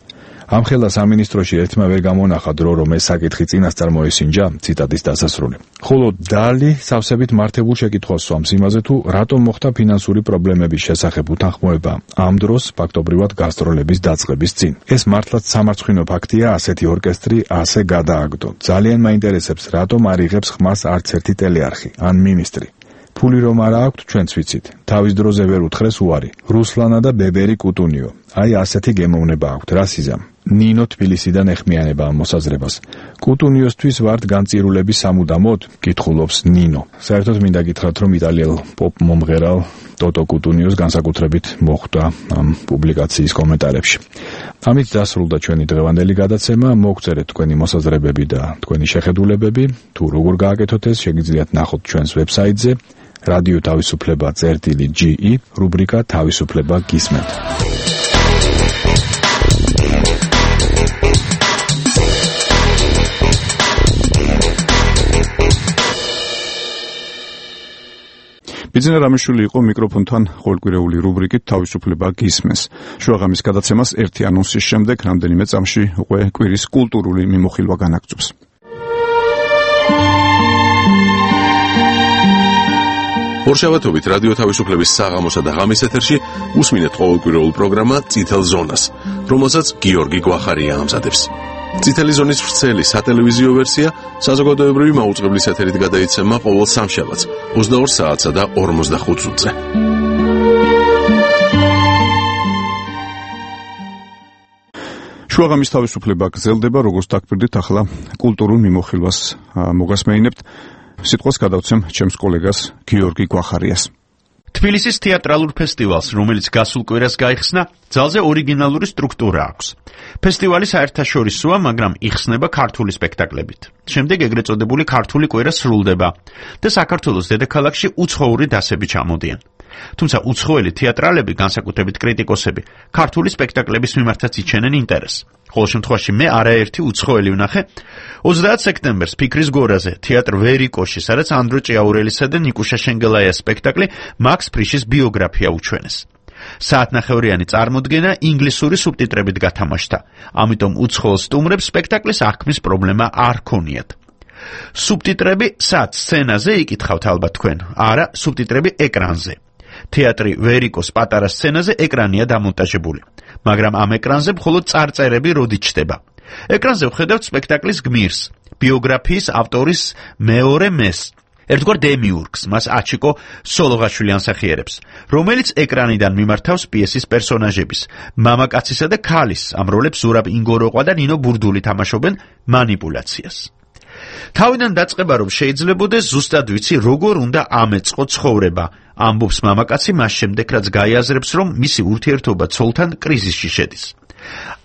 ამ ხელა სამინისტროში ერთმა ვერ გამონახა დრო, რომ ეს საკითხი წინასწარ მოესინჯა. ციტატის დასასრული. ხოლო დალი სავსებით მართებულ შეკითხვას სვამს იმაზე, თუ რატომ მოხდა ფინანსური პრობლემების შესახებ უთანხმოება ამ დროს ფაქტობრივად გასტროლების დაწყების წინ. ეს მართლაც სამარცხვინო ფაქტია, ასეთი ორკესტრი ასე გადააგდო. ძალიან მაინტერესებს, რატომ არ იღებს ხმას არც ერთი ტელეარხი ან მინისტრი. ფული რომ არა აქვთ, ჩვენც ვიცით. თავის დროზე ვერ უთხრეს უარი. რუსლანა და ბებერი კუტუნიო. აი ასეთი გემოვნება აქვთ, რა სიზამ. ნინო თბილისიდან ეხმიანება ამ მოსაზრებას. კუტუნიოსთვის ვართ განწირულების სამუდამოდ, კითხულობს ნინო. საერთოდ მინდა გითხრათ, რომ იტალიელ პოპ მომღერალ ტოტო კუტუნიოს განსაკუთრებით მოხვდა ამ პუბლიკაციის კომენტარებში. ამით დასრულდა ჩვენი დღევანდელი გადაცემა. მოგწერეთ თქვენი მოსაზრებები და თქვენი შეხედულებები. თუ როგორ გააკეთოთ ეს, შეგიძლიათ ნახოთ ჩვენს ვებსაიტზე რადიო თავისუფლება წერტილი ჯი ი, რუბრიკა თავისუფლება გისმენთ. ბიძინა რამიშვილი იყო მიკროფონთან ყოველკვირეული რუბრიკით თავისუფლება გისმენს. შუაღამის გადაცემას ერთი ანონსის შემდეგ რამდენიმე წამში უკვე კვირის კულტურული მიმოხილვა განაგრძობს. ორშაბათობით რადიო თავისუფლების საღამოსა და ღამის ეთერში უსმინეთ ყოველკვირეულ პროგრამა წითელ ზონას, რომელსაც გიორგი გვახარია ამზადებს. წითელი ზონის ვრცელი სატელევიზიო ვერსია საზოგადოებრივი მაუწყებლის ეთერით გადაიცემა ყოველ სამშაბათს ოცდაორ საათსა და ორმოცდახუთ წუთზე. შუაღამის თავისუფლება გრძელდება, როგორც დაგკვირდით, ახლა კულტურულ მიმოხილვას მოგასმეინებთ. სიტყვას გადავცემ ჩემს კოლეგას გიორგი გვახარიას. თბილისის თეატრალურ ფესტივალს, რომელიც გასულ კვირას გაიხსნა, ძალზე ორიგინალური სტრუქტურა აქვს. ფესტივალი საერთაშორისოა, მაგრამ იხსნება ქართული სპექტაკლებით. შემდეგ ეგრეთ წოდებული ქართული კვირა სრულდება და საქართველოს დედაქალაქში უცხოური დასები ჩამოდიან. თუმცა უცხოელი თეატრალები, განსაკუთრებით კრიტიკოსები, ქართული სპექტაკლების მიმართაც იჩენენ ინტერესს. ყოველ შემთხვევაში მე არაერთი უცხოელი ვნახე ოცდაათ სექტემბერს ფიქრის გორაზე, თეატრ ვერიკოში, სადაც ანდრო ჭიაურელისა და ნიკუშა შენგელაიას სპექტაკლი მაქს ფრიშის ბიოგრაფია უჩვენეს. საათნახევრიანი წარმოდგენა ინგლისური სუბტიტრებით გათამაშდა, ამიტომ უცხოელ სტუმრებს სპექტაკლის აღქმის პრობლემა არ ქონიათ. სუბტიტრები სად სცენაზე იკითხავთ ალბათ თქვენ, არა სუბტიტრები ეკრანზე. თეატრი ვერიკოს პატარა სცენაზე ეკრანია დამონტაჟებული, მაგრამ ამ ეკრანზე მხოლოდ წარწერები როდი ჩდება. ეკრანზე ვხედავთ სპექტაკლის გმირს, ბიოგრაფიის ავტორის მეორე მეს, ერთგვარ დემიურგს, მას აჩიკო სოლოღაშვილი ანსახიერებს, რომელიც ეკრანიდან მიმართავს პიესის პერსონაჟების, მამაკაცისა და ქალის, ამ როლებს ზურაბ ინგოროყვა და ნინო ბურდული თამაშობენ манипуляციას. თავიდან დაწყება რომ შეიძლებოდეს ზუსტად ვიცი როგორ უნდა ამეწყო ცხოვრება, ამბობს მამაკაცი მას შემდეგ რაც გაიაზრებს რომ მისი ურთიერთობა ცოლთან კრიზისში შედის.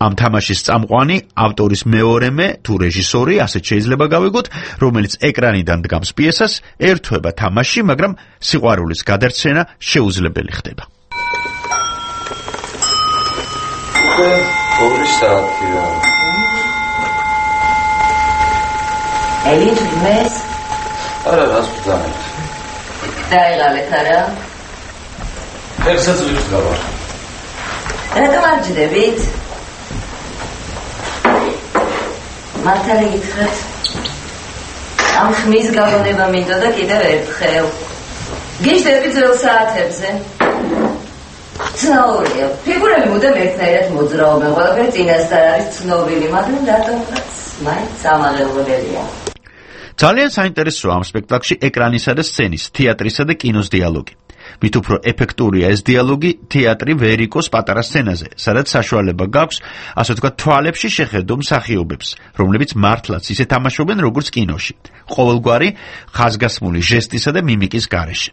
ამ თამაშის წამყვანი ავტორის მეორე მე თუ რეჟისორი, ასეთ შეიძლება გავიგოთ, რომელიც ეკრანიდან დგამს პიესას, ერთვება თამაში, მაგრამ სიყვარულის გადარჩენა შეუძლებელი ხდება. უკვე ორი საათია. Elin mes? არა, რას ვძანეთ? დაიღალეთ არა? ერთსაც ვიხსნავარ. რატომ არ ჯდებით? მართალი გითხრათ. ამ ხმის გაგონება მინდოდა კიდევ ერთხელ. გიჟდები ძველ საათებზე. ცნაურია. ფიგურები მუდამ ერთნაირად მოძრაობენ, ყველაფერი წინასწარ არის ცნობილი, მაგრამ რატომღაც მაინც ამაღელველია. ძალიან საინტერესოა ამ სპექტაკლში ეკრანისა და სცენის, თეატრისა და კინოს დიალოგი. მით უფრო ეფექტურია ეს დიალოგი თეატრი ვერიკოს პატარა სცენაზე, სადაც საშუალება გაქვს, ასე ვთქვათ, თვალებში შეხედო მსახიობებს, რომლებიც მართლაც ისე თამაშობენ, როგორც კინოში, ყოველგვარი ხაზგასმული ჟესტისა და მიმიკის გარეშე.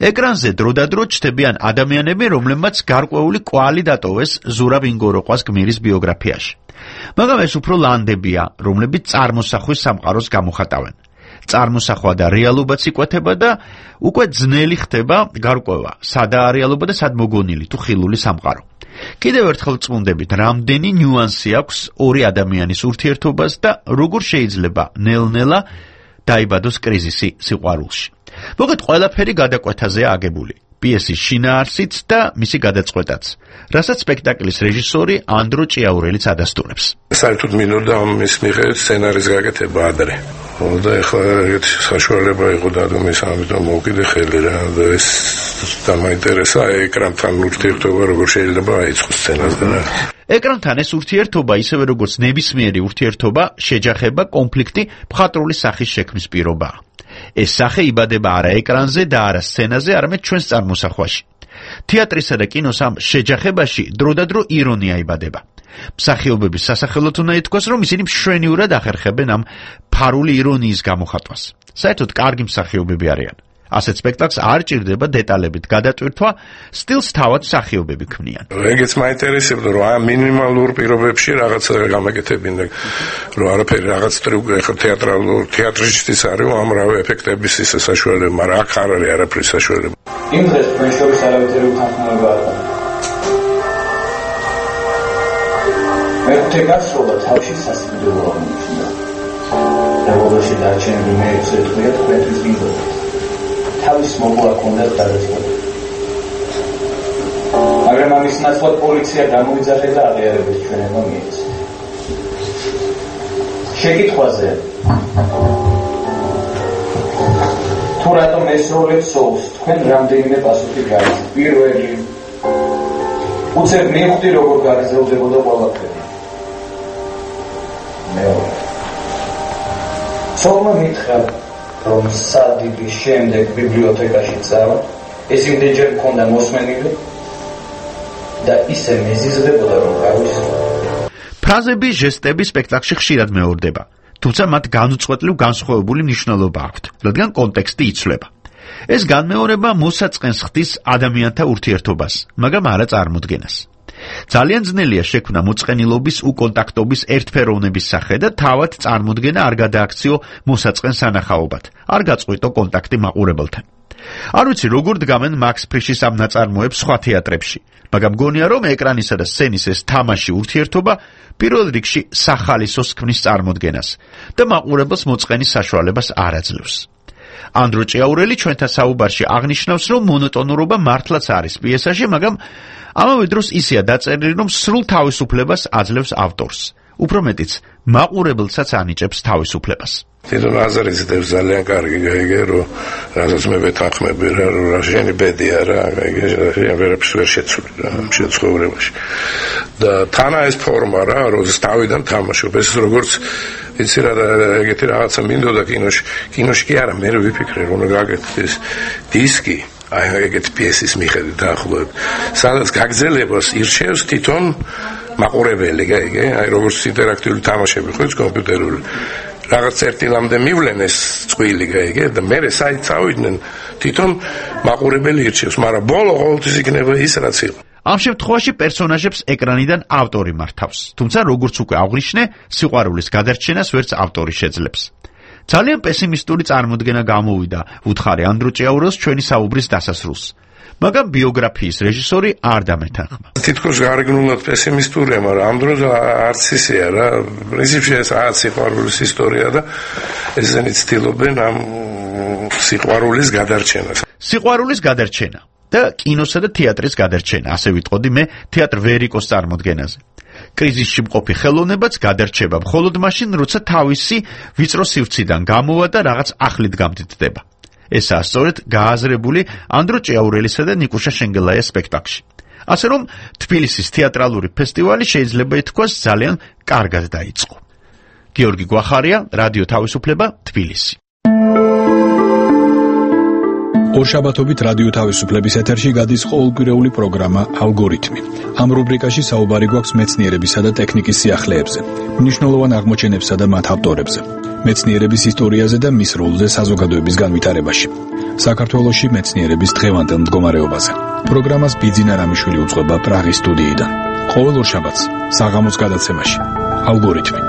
ეკრანზე დროდადრო ჩნდებიან ადამიანები, რომლებმაც გარკვეული კვალი დატოვეს ზურაბ ინგოროყვას გმირის ბიოგრაფიაში. მაგრამ ეს უფრო ლანდებია, რომლებიც წარმოსახვის სამყაროს გამოხატავენ. წარმოსახვა და რეალობაც იკვეთება და უკვე ძნელი ხდება გარკვევა, სადაა რეალობა და სად მოგონილი თუ ხილული სამყარო. კიდევ ერთხელ წმუნდებით, რამდენი ნიუანსი აქვს ორი ადამიანის ურთიერთობას და როგორ შეიძლება ნელ-ნელა დაიბადოს კრიზისი სიყვარულში. მოგეთ ყველაფერი გადაკვეთაზეა აგებული. პიესის შინაარსიც და მისი გადაწყვეტაც, რასაც სპექტაკლის რეჟისორი ანდრო ჭიაურელიც ადასტურებს. საერთოდ მინდოდა ამის მიხედვით სცენარის გაკეთება ადრე. და ეხლა ერთ საშუალება იყო დადუმის, ამიტომ მოვკიდე ხელი რა და ეს დამაინტერესა ეკრანთან ურთიერთობა როგორ შეიძლება აიწყოს სცენაზე რა. ეკრანთან ეს ურთიერთობა ისევე როგორც ნებისმიერი ურთიერთობა, შეჯახება, კონფლიქტი, მხატვრული სახის შექმნის პირობაა. ეს სახე იბადება არა ეკრანზე და არა სცენაზე, არამედ ჩვენს წარმოსახვაში. თეატრისა და კინოს ამ შეჯახებაში დროდადრო ირონია იბადება. მსახიობების სასახელოდ უნდა ითქვას, რომ ისინი მშვენივრად ახერხებენ ამ ფარული ირონიის გამოხატვას. საერთოდ კარგი მსახიობები არიან. ასეთ სპექტაკლს არ ჭირდება დეტალებით გადატვირთვა, სტილს თავად მსახიობები ქმნიან. ეგეც მაინტერესებდა, რომ ამ მინიმალურ პირობებში რაღაც გამეკეთებინა, რომ არაფერი რაღაც ტრიუკი ახლა თეატრალურ თეატრშიც არის, ამრავი ეფექტების ისე საშუალება, მაგრამ აქ არ არის არაფერი საშუალება. იმ დღეს ჩვენ შორის არავითარი უთანხმოება არ არის. მეხუთე გასროლა თავში სასიკვდილო აღმოჩნდა. რევოლუციაში დარჩენილი მეექვსე დღეა თქვენთვის გინდოდა. თავის მოგლა კონდათ გადაწყვეტა. მაგრამ ამის ნაცვლად პოლიცია გამოიძახე და აღიარებებს ჩვენება მიეცა. შეკითხვაზე თუ რატომ ეს როლებს სოლს, თქვენ რამდენიმე პასუხი გაიცით. პირველი, უცებ მივხვდი როგორ გაგრძელდებოდა ყველაფერი. მეორე, სოლმა მითხრა რომ სადიბის შემდეგ ბიბლიოთეკაში წავა, ეს იმდენჯერ მქონდა მოსმენილი და ისე მეზიზრდებოდა, რომ გავისროლა. ფრაზები, ჟესტები სპექტაკლში ხშირად მეორდება, თუმცა მათ განუწყვეტლივ განსხვავებული მნიშვნელობა აქვთ, რადგან კონტექსტი იცვლება. ეს განმეორება მოსაწყენს ხდის ადამიანთა ურთიერთობას, მაგრამ არა წარმოდგენას. ძალიან ძნელია შექმნა მოწყენილობის უკონტაქტობის ერთფეროვნების სახე და თავად წარმოდგენა არ გადააქციო მოსაწყენ სანახაობად, არ გაწყვიტო კონტაქტი მაყურებელთან. არ ვიცი როგორ დგამენ მაქს ფრიშის ამ ნაწარმოებს სხვა თეატრებში, მაგრამ გონია რომ ეკრანისა და სცენის ეს თამაში ურთიერთობა პირველ რიგში სახალისოს ქმნის წარმოდგენას და მაყურებელს მოწყენის საშუალებას არ აძლევს. ანდრო ჭიაურელი ჩვენთან საუბარში აღნიშნავს, რომ მონოტონურობა მართლაც არის პიესაში, მაგრამ ამავე დროს ისეა დაწერილი, რომ სრულ თავისუფლებას აძლევს ავტორს. უფრო მეტიც, მაყურებელსაც ანიჭებს თავისუფლებას. თვითონ აზრიც დევს ძალიან კარგი გაიგე, რომ რასაც მე ვეთანხმები რა, რომ რა შენი ბედია რა, გაიგე, რა ვერაფერს ვერ შეცვლი რა შეცხოვრებაში. და თანა ეს ფორმა რა, როდეს თავიდან თამაშობ, ეს როგორც იცი რა ეგეთი რაღაცა მინდოდა კინოში, კინოში კი არა, მე ვიფიქრე რომ გაგეთეს დისკი, აი ეგეთი პიესის მიხედვით დაახლოებით, სადაც გაგზელებას ირჩევს თვითონ მაყურებელი, გაიგე, აი როგორც ინტერაქტიული თამაშები ხო ის კომპიუტერული. რაღაც ერთი ლამდე მივლენ ეს წვილი გაიგე და მე საით წავიდნენ თვითონ მაყურებელი ირჩევს, მაგრამ ბოლო ყოველთვის იქნება ის რაც იყო. ამ შემთხვევაში პერსონაჟებს ეკრანიდან ავტორი მართავს, თუმცა როგორც უკვე აღვნიშნე, სიყვარულის გადარჩენას ვერც ავტორი შეძლებს. ძალიან პესიმისტური წარმოდგენა გამოვიდა უთხარი ანდრო ჭიაურელს ჩვენი საუბრის დასასრულს. მაგრამ ბიოგრაფიის რეჟისორი არ დამეთანხმა. თითქოს გარეგნულად პესიმისტურია, მაგრამ ამ დროს არც ისეა რა. პრინციპში ეს რაღაც სიყვარულის ისტორია და ესენი ცდილობენ ამ სიყვარულის გადარჩენას. სიყვარულის გადარჩენა და კინოსა და თეატრის გადარჩენა, ასე ვიტყოდი მე თეატრ ვერიკოს წარმოდგენაზე. კრიზისში მყოფი ხელოვნებაც გადარჩება მხოლოდ მაშინ, როცა თავისი ვიწრო სივრციდან გამოვა და რაღაც ახლით გამდიდდება. ესაა სწორედ გააზრებული ანდრო ჭიაურელისა და ნიკუშა შენგელაიას სპექტაკლში. ასე რომ თბილისის თეატრალური ფესტივალი შეიძლება ითქვას ძალიან კარგად დაიწყო. გიორგი გვახარია, რადიო თავისუფლება, თბილისი. ორშაბათობით რადიო თავისუფლების ეთერში გადის ყოველკვირეული პროგრამა ალგორითმი. ამ რუბრიკაში საუბარი გვაქვს მეცნიერებისა და ტექნიკის სიახლეებზე, მნიშვნელოვან აღმოჩენებსა და მათ ავტორებზე, მეცნიერების ისტორიაზე და მის როლზე საზოგადოების განვითარებაში. საქართველოში მეცნიერების დღევანდელ მდგომარეობაზე. პროგრამას ბიძინა რამიშვილი უძღვება პრაღის სტუდიიდან. ყოველ ორშაბათს საღამოს გადაცემაში. ალგორითმი.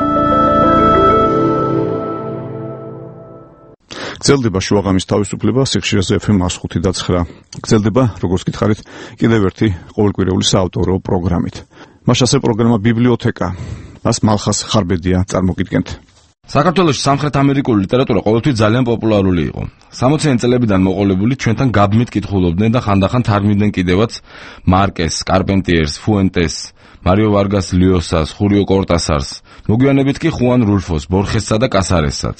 გრძელდება შუაღამის თავისუფლება სიხშირეზე ეფ ემ one oh five და nine. გრძელდება, როგორც გითხარით, კიდევ ერთი ყოველკვირეული საავტორო პროგრამით. მაშასე პროგრამა ბიბლიოთეკა. მას მალხას ხარბედია წარმოგიდგენთ. საქართველოში სამხრეთ ამერიკული ლიტერატურა ყოველთვის ძალიან პოპულარული იყო. სამოციანი წლებიდან მოყოლებული ჩვენთან გაბმით კითხულობდნენ და ხანდახან თარგმნიდნენ კიდევაც მარკეს, კარპენტიერს, ფუენტეს, მარიო ვარგას ლიოსას, ხურიო კორტასარს, მოგვიანებით კი ხუან რულფოს, ბორხესსა და კასარესაც.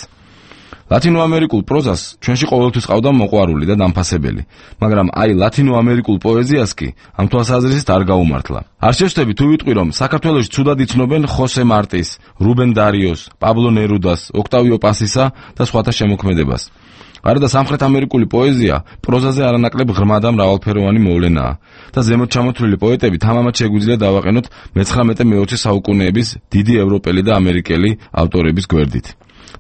ლათინოამერიკულ პროზას ჩვენში ყოველთვის ყავდა მოყვარული და დამფასებელი, მაგრამ აი ლათინოამერიკულ პოეზიას კი ამ თვალსაზრისით არ გაუმართლა. არ შევშთები თუ ვიტყვი, რომ საქართველოში ცუდად იცნობენ ხოსე მარტის, რუბენ დარიოს, პაბლო ნერუდას, ოქტავიო პასისა და სხვათა შემოქმედებას. გარდა სამხრეთ ამერიკული პოეზია პროზაზე არანაკლებ ღრმა და მრავალფეროვანი მოვლენაა და ზემოთ ჩამოთვლილი პოეტები თამამად შეგვიძლია დავაყენოთ მეცხრამეტე მეოცე საუკუნეების დიდი ევროპელი და ამერიკელი ავტორების გვერდით.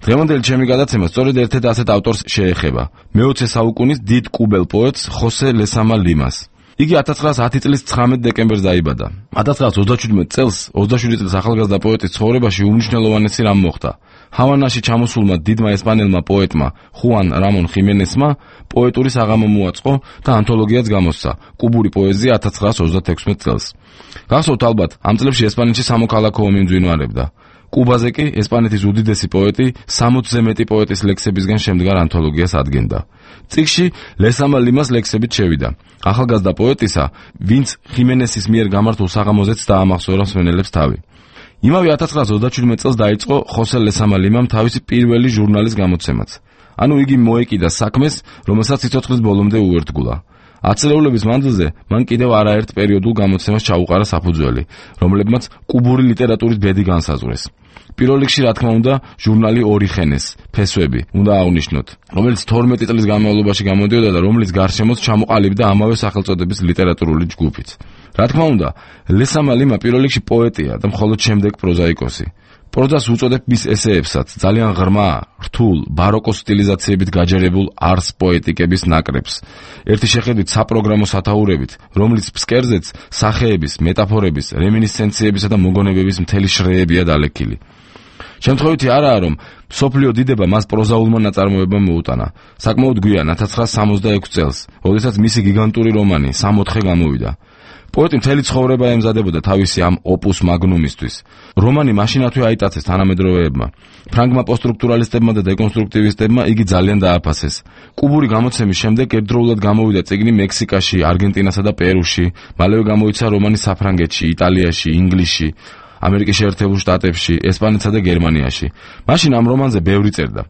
დღევანდელი ჩემი გადაცემა სწორედ ერთ-ერთ ასეთ ავტორს შეეხება, მეოცე საუკუნის დიდ კუბელ პოეტს ხოსე ლესამა ლიმას. იგი ათას ცხრაას ათი წლის ცხრამეტ დეკემბერს დაიბადა. ათას ცხრაას ოცდაშვიდმეტ წელს ოცდაშვიდი წლის ახალგაზრდა პოეტის ცხოვრებაში უმნიშვნელოვანესი რამ მოხდა. ჰავანაში ჩამოსულმა დიდმა ესპანელმა პოეტმა ხუან რამონ ხიმენესმა პოეტური საღამო მოაწყო და ანთოლოგიაც გამოსცა კუბური პოეზია ათას ცხრაას ოცდათექვსმეტ წელს. გახსოვთ ალბათ, ამ წლებში ესპანეთში სამოქალაქო ომი მძვინვარებდა. კუბაზე კი ესპანეთის უდიდესი პოეტი სამოცზე მეტი პოეტის ლექსებისგან შემდგარ ანთოლოგიას ადგენდა. წიგნში ლესამა ლიმას ლექსებით შევიდა. ახალგაზრდა პოეტისა, ვინც ხიმენესის მიერ გამართულ საღამოზეც დაამახსოვრა მსმენელებს თავი. იმავე ათას ცხრაას ოცდაშვიდმეტ წელს დაიწყო ხოსე ლესამა ლიმამ თავისი პირველი ჟურნალის გამოცემაც. ანუ იგი მოეკიდა საქმეს, რომელსაც სიცოცხლის ბოლომდე უერთგულა. ათწლეულების მანძილზე მან კიდევ არაერთ პერიოდულ გამოცემას ჩაუყარა საფუძველი, რომლებმაც კუბური ლიტერატურის ბედი განსაზღვრეს. პირველ რიგში, რა თქმა უნდა, ჟურნალი ორიხენეს, ფესვები, უნდა აღვნიშნოთ, რომელიც თორმეტი წლის განმავლობაში გამოდიოდა და რომლის გარშემოც ჩამოყალიბდა ამავე სახელწოდების ლიტერატურული ჯგუფიც. რა თქმა უნდა, ლესამა ლიმა პირველ რიგში პოეტია და მხოლოდ შემდეგ პროზაიკოსი. პროზას უწოდებ მის ესეებსაც, ძალიან ღრმა, რთულ, ბაროკოს სტილიზაციებით გაჯერებულ არს პოეტიკების ნაკრებს. ერთი შეხედვით საპროგრამო სათაურებით, რომლის ფსკერზეც სახეების, მეტაფორების, რემინისცენციებისა და მოგონებების მთელი შრეებია დალექილი. შემთხვევითი არაა, რომ მსოფლიო დიდება მას პროზაულმა ნაწარმოებამ მოუტანა. საკმაოდ გვიან ათას ცხრაასა სამოცდაექვსი წელს, როდესაც მისი გიგანტური რომანი სამოთხე გამოვიდა. პოეტი მთელი ცხოვრება ემზადებოდა თავისი ამ ოპუს მაგნუმისთვის. რომანი მაშინათვე აიტაცეს თანამედროვეებმა. ფრანგმა პოსტსტრუქტურალისტებმა და დეკონსტრუქტივისტებმა იგი ძალიან დააფასეს. კუბური გამოცემის შემდეგ ერთდროულად გამოვიდა წიგნი მექსიკაში, არგენტინასა და პერუში, მალევე გამოიცა რომანი საფრანგეთში, იტალიაში, ინგლისში, ამერიკის შეერთებულ შტატებში, ესპანეთსა და გერმანიაში. მაშინ ამ რომანზე ბევრი წერდა.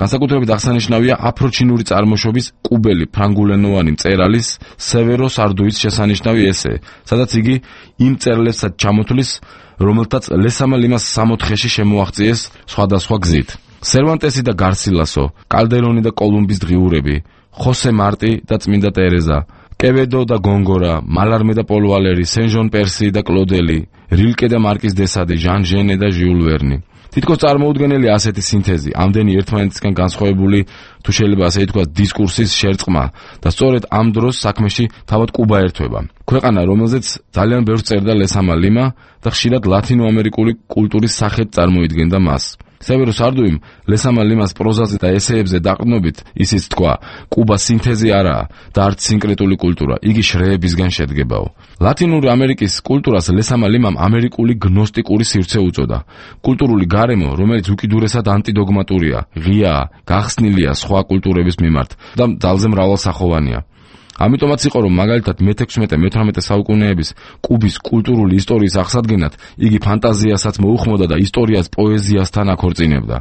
განსაკუთრებით აღსანიშნავია აფროჩინური წარმოშობის კუბელი ფრანგულენოვანი მწერალის სევერო სარდუის შესანიშნავი ესე, სადაც იგი იმ მწერლებსაც ჩამოთვლის, რომელთაც ლესამა ლიმას სამოთხეში შემოაღწიეს სხვადასხვა გზით. სერვანტესი და გარსილასო, კალდერონი და კოლუმბის დღიურები, ხოსე მარტი და წმინდა ტერეზა, კევედო და გონგორა, მალარმე და პოლ ვალერი, სენ-ჟონ პერსი და კლოდელი, რილკე და მარკიზ დე სადი, ჟან ჟენე და ჟიულ ვერნი. თითქოს წარმოუდგენელი ასეთი სინთეზი, ამდენი ერთმანეთისგან განსხვავებული, თუ შეიძლება ასე ითქვას, დისკურსის შერწყმა და სწორედ ამ დროს საქმეში თავად კუბა ერთვება. ქვეყანა, რომელზეც ძალიან ბევრს წერდა ლესამა ლიმა და ხშირად ლათინოამერიკული კულტურის სახედ წარმოიდგენდა მას. სევერო სარდუიმ ლესამა ლიმას პროზაზე და ესეებზე დაყრდნობით ისიც თქვა, კუბა სინთეზი არაა და არც სინკრეტული კულტურა, იგი შრეებისგან შედგებაო. ლათინური ამერიკის კულტურას ლესამა ლიმამ ამერიკული გნოსტიკური სივრცე უწოდა. კულტურული გარემო, რომელიც უკიდურესად ანტიდოგმატურია, ღიაა, გახსნილია სხვა კულტურების მიმართ და ძალზე მრავალსახოვანია. ამიტომაც იყო, რომ მაგალითად მეთექვსმეტე მეთვრამეტე საუკუნეების კუბის კულტურული ისტორიის აღსადგენად იგი ფანტაზიასაც მოუხმოდა და ისტორიას პოეზიასთან აქორწინებდა.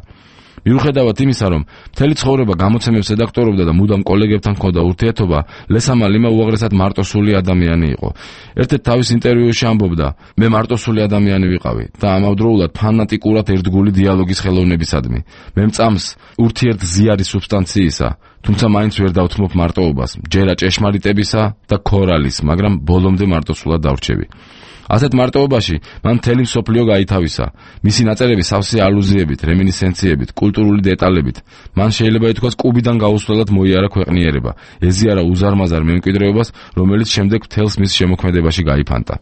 მიუხედავად იმისა, რომ მთელი ცხოვრება გამოცემებს რედაქტორობდა და მუდამ კოლეგებთან ჰქონდა ურთიერთობა, ლესამა ლიმა უაღრესად მარტოსული ადამიანი იყო. ერთ-ერთ თავის ინტერვიუში ამბობდა: მე მარტოსული ადამიანი ვიყავი და ამავდროულად ფანატიკურად ერთგული დიალოგის ხელოვნებისადმი. მე მწამს ურთიერთზიარის სუბსტანციისა, თუმცა მაინც ვერ დავთმობ მარტოობას, ჯერა ჭეშმარიტებისა და ქორალის, მაგრამ ბოლომდე მარტოსულად დავრჩები. ასეთ მარტოობაში მან მთელი მსოფლიო გაითავისა. მისი ნაწერები სავსე ალუზიებით, რემინისცენციებით, კულტურული დეტალებით. მან შეიძლება ითქვას, კუბიდან გაუსვლელად მოიარა ქვეყნიერება, ეზიარა უზარმაზარ მემკვიდრეობას, რომელიც შემდეგ მთელს მის შემოქმედებაში გაიფანტა.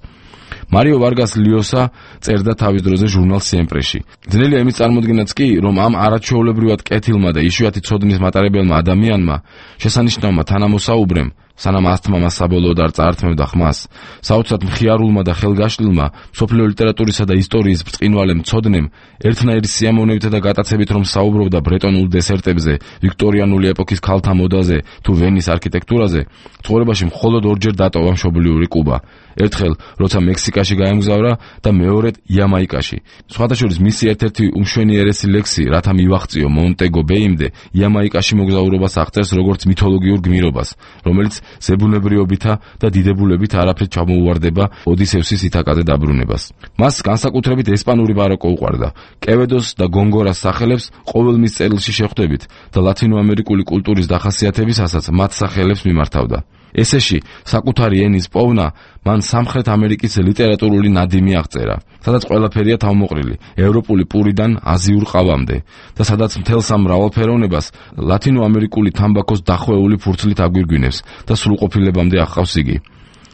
მარიო ვარგას ლიოსა წერდა თავის დროზე ჟურნალ სიემპრეში. ძნელია იმის წარმოდგენაც კი, რომ ამ არაჩვეულებრივად კეთილმა და იშვიათი ცოდნის მატარებელმა ადამიანმა, შესანიშნავმა თანამოსაუბრემ, სანამ ასთმა მას საბოლოოდ არ წაართმევდა ხმას, საოცრად მხიარულმა და ხელგაშლილმა მსოფლიო ლიტერატურისა და ისტორიის ბრწყინვალემ ცოდნემ, ერთნაირი სიამოვნებით და გატაცებით რომ საუბრობდა ბრეტონულ დესერტებზე, ვიქტორიანული ეპოქის ქალთა მოდაზე თუ ვენის არქიტექტურაზე, ცხოვრებაში მხოლოდ ორჯერ დატოვა მშობლიური კუბა. ერთხელ, როცა მექსიკაში გაემგზავრა და მეორედ იამაიკაში. სხვადასხვა მისი ერთ-ერთი უმშვენიერესი ლექსი, რათა მივაღწიო მონტეგო ბეიმდე, იამაიკაში მოგზაურობას აღწერს როგორც მითოლოგიურ გმირობას, რომელიც ზებუნებრივობითა და დიდებულებით არაფრით ჩამოუვარდება ოდისევსის ითაკაზე დაბრუნებას. მას განსაკუთრებით ესპანური ბაროკო უყვარდა. კევედოს და გონგორას სახელებს ყოველ მის წერილში შეხვდებით და ლათინოამერიკული კულტურის დახასიათებისასაც მათ სახელებს მიმართავდა. ესეში საკუთარი ენის პოვნა მან სამხრეთ ამერიკის ლიტერატურული ნადიმი აღწერა, სადაც ყველაფერია თავმოყრილი, ევროპული პურიდან აზიურ ყავამდე და სადაც მთელს ამ მრავალფეროვნებას ლათინოამერიკული თამბაქოს დახვეული ფურცლით აგვირგვინებს და სრულყოფილებამდე აღყავს იგი.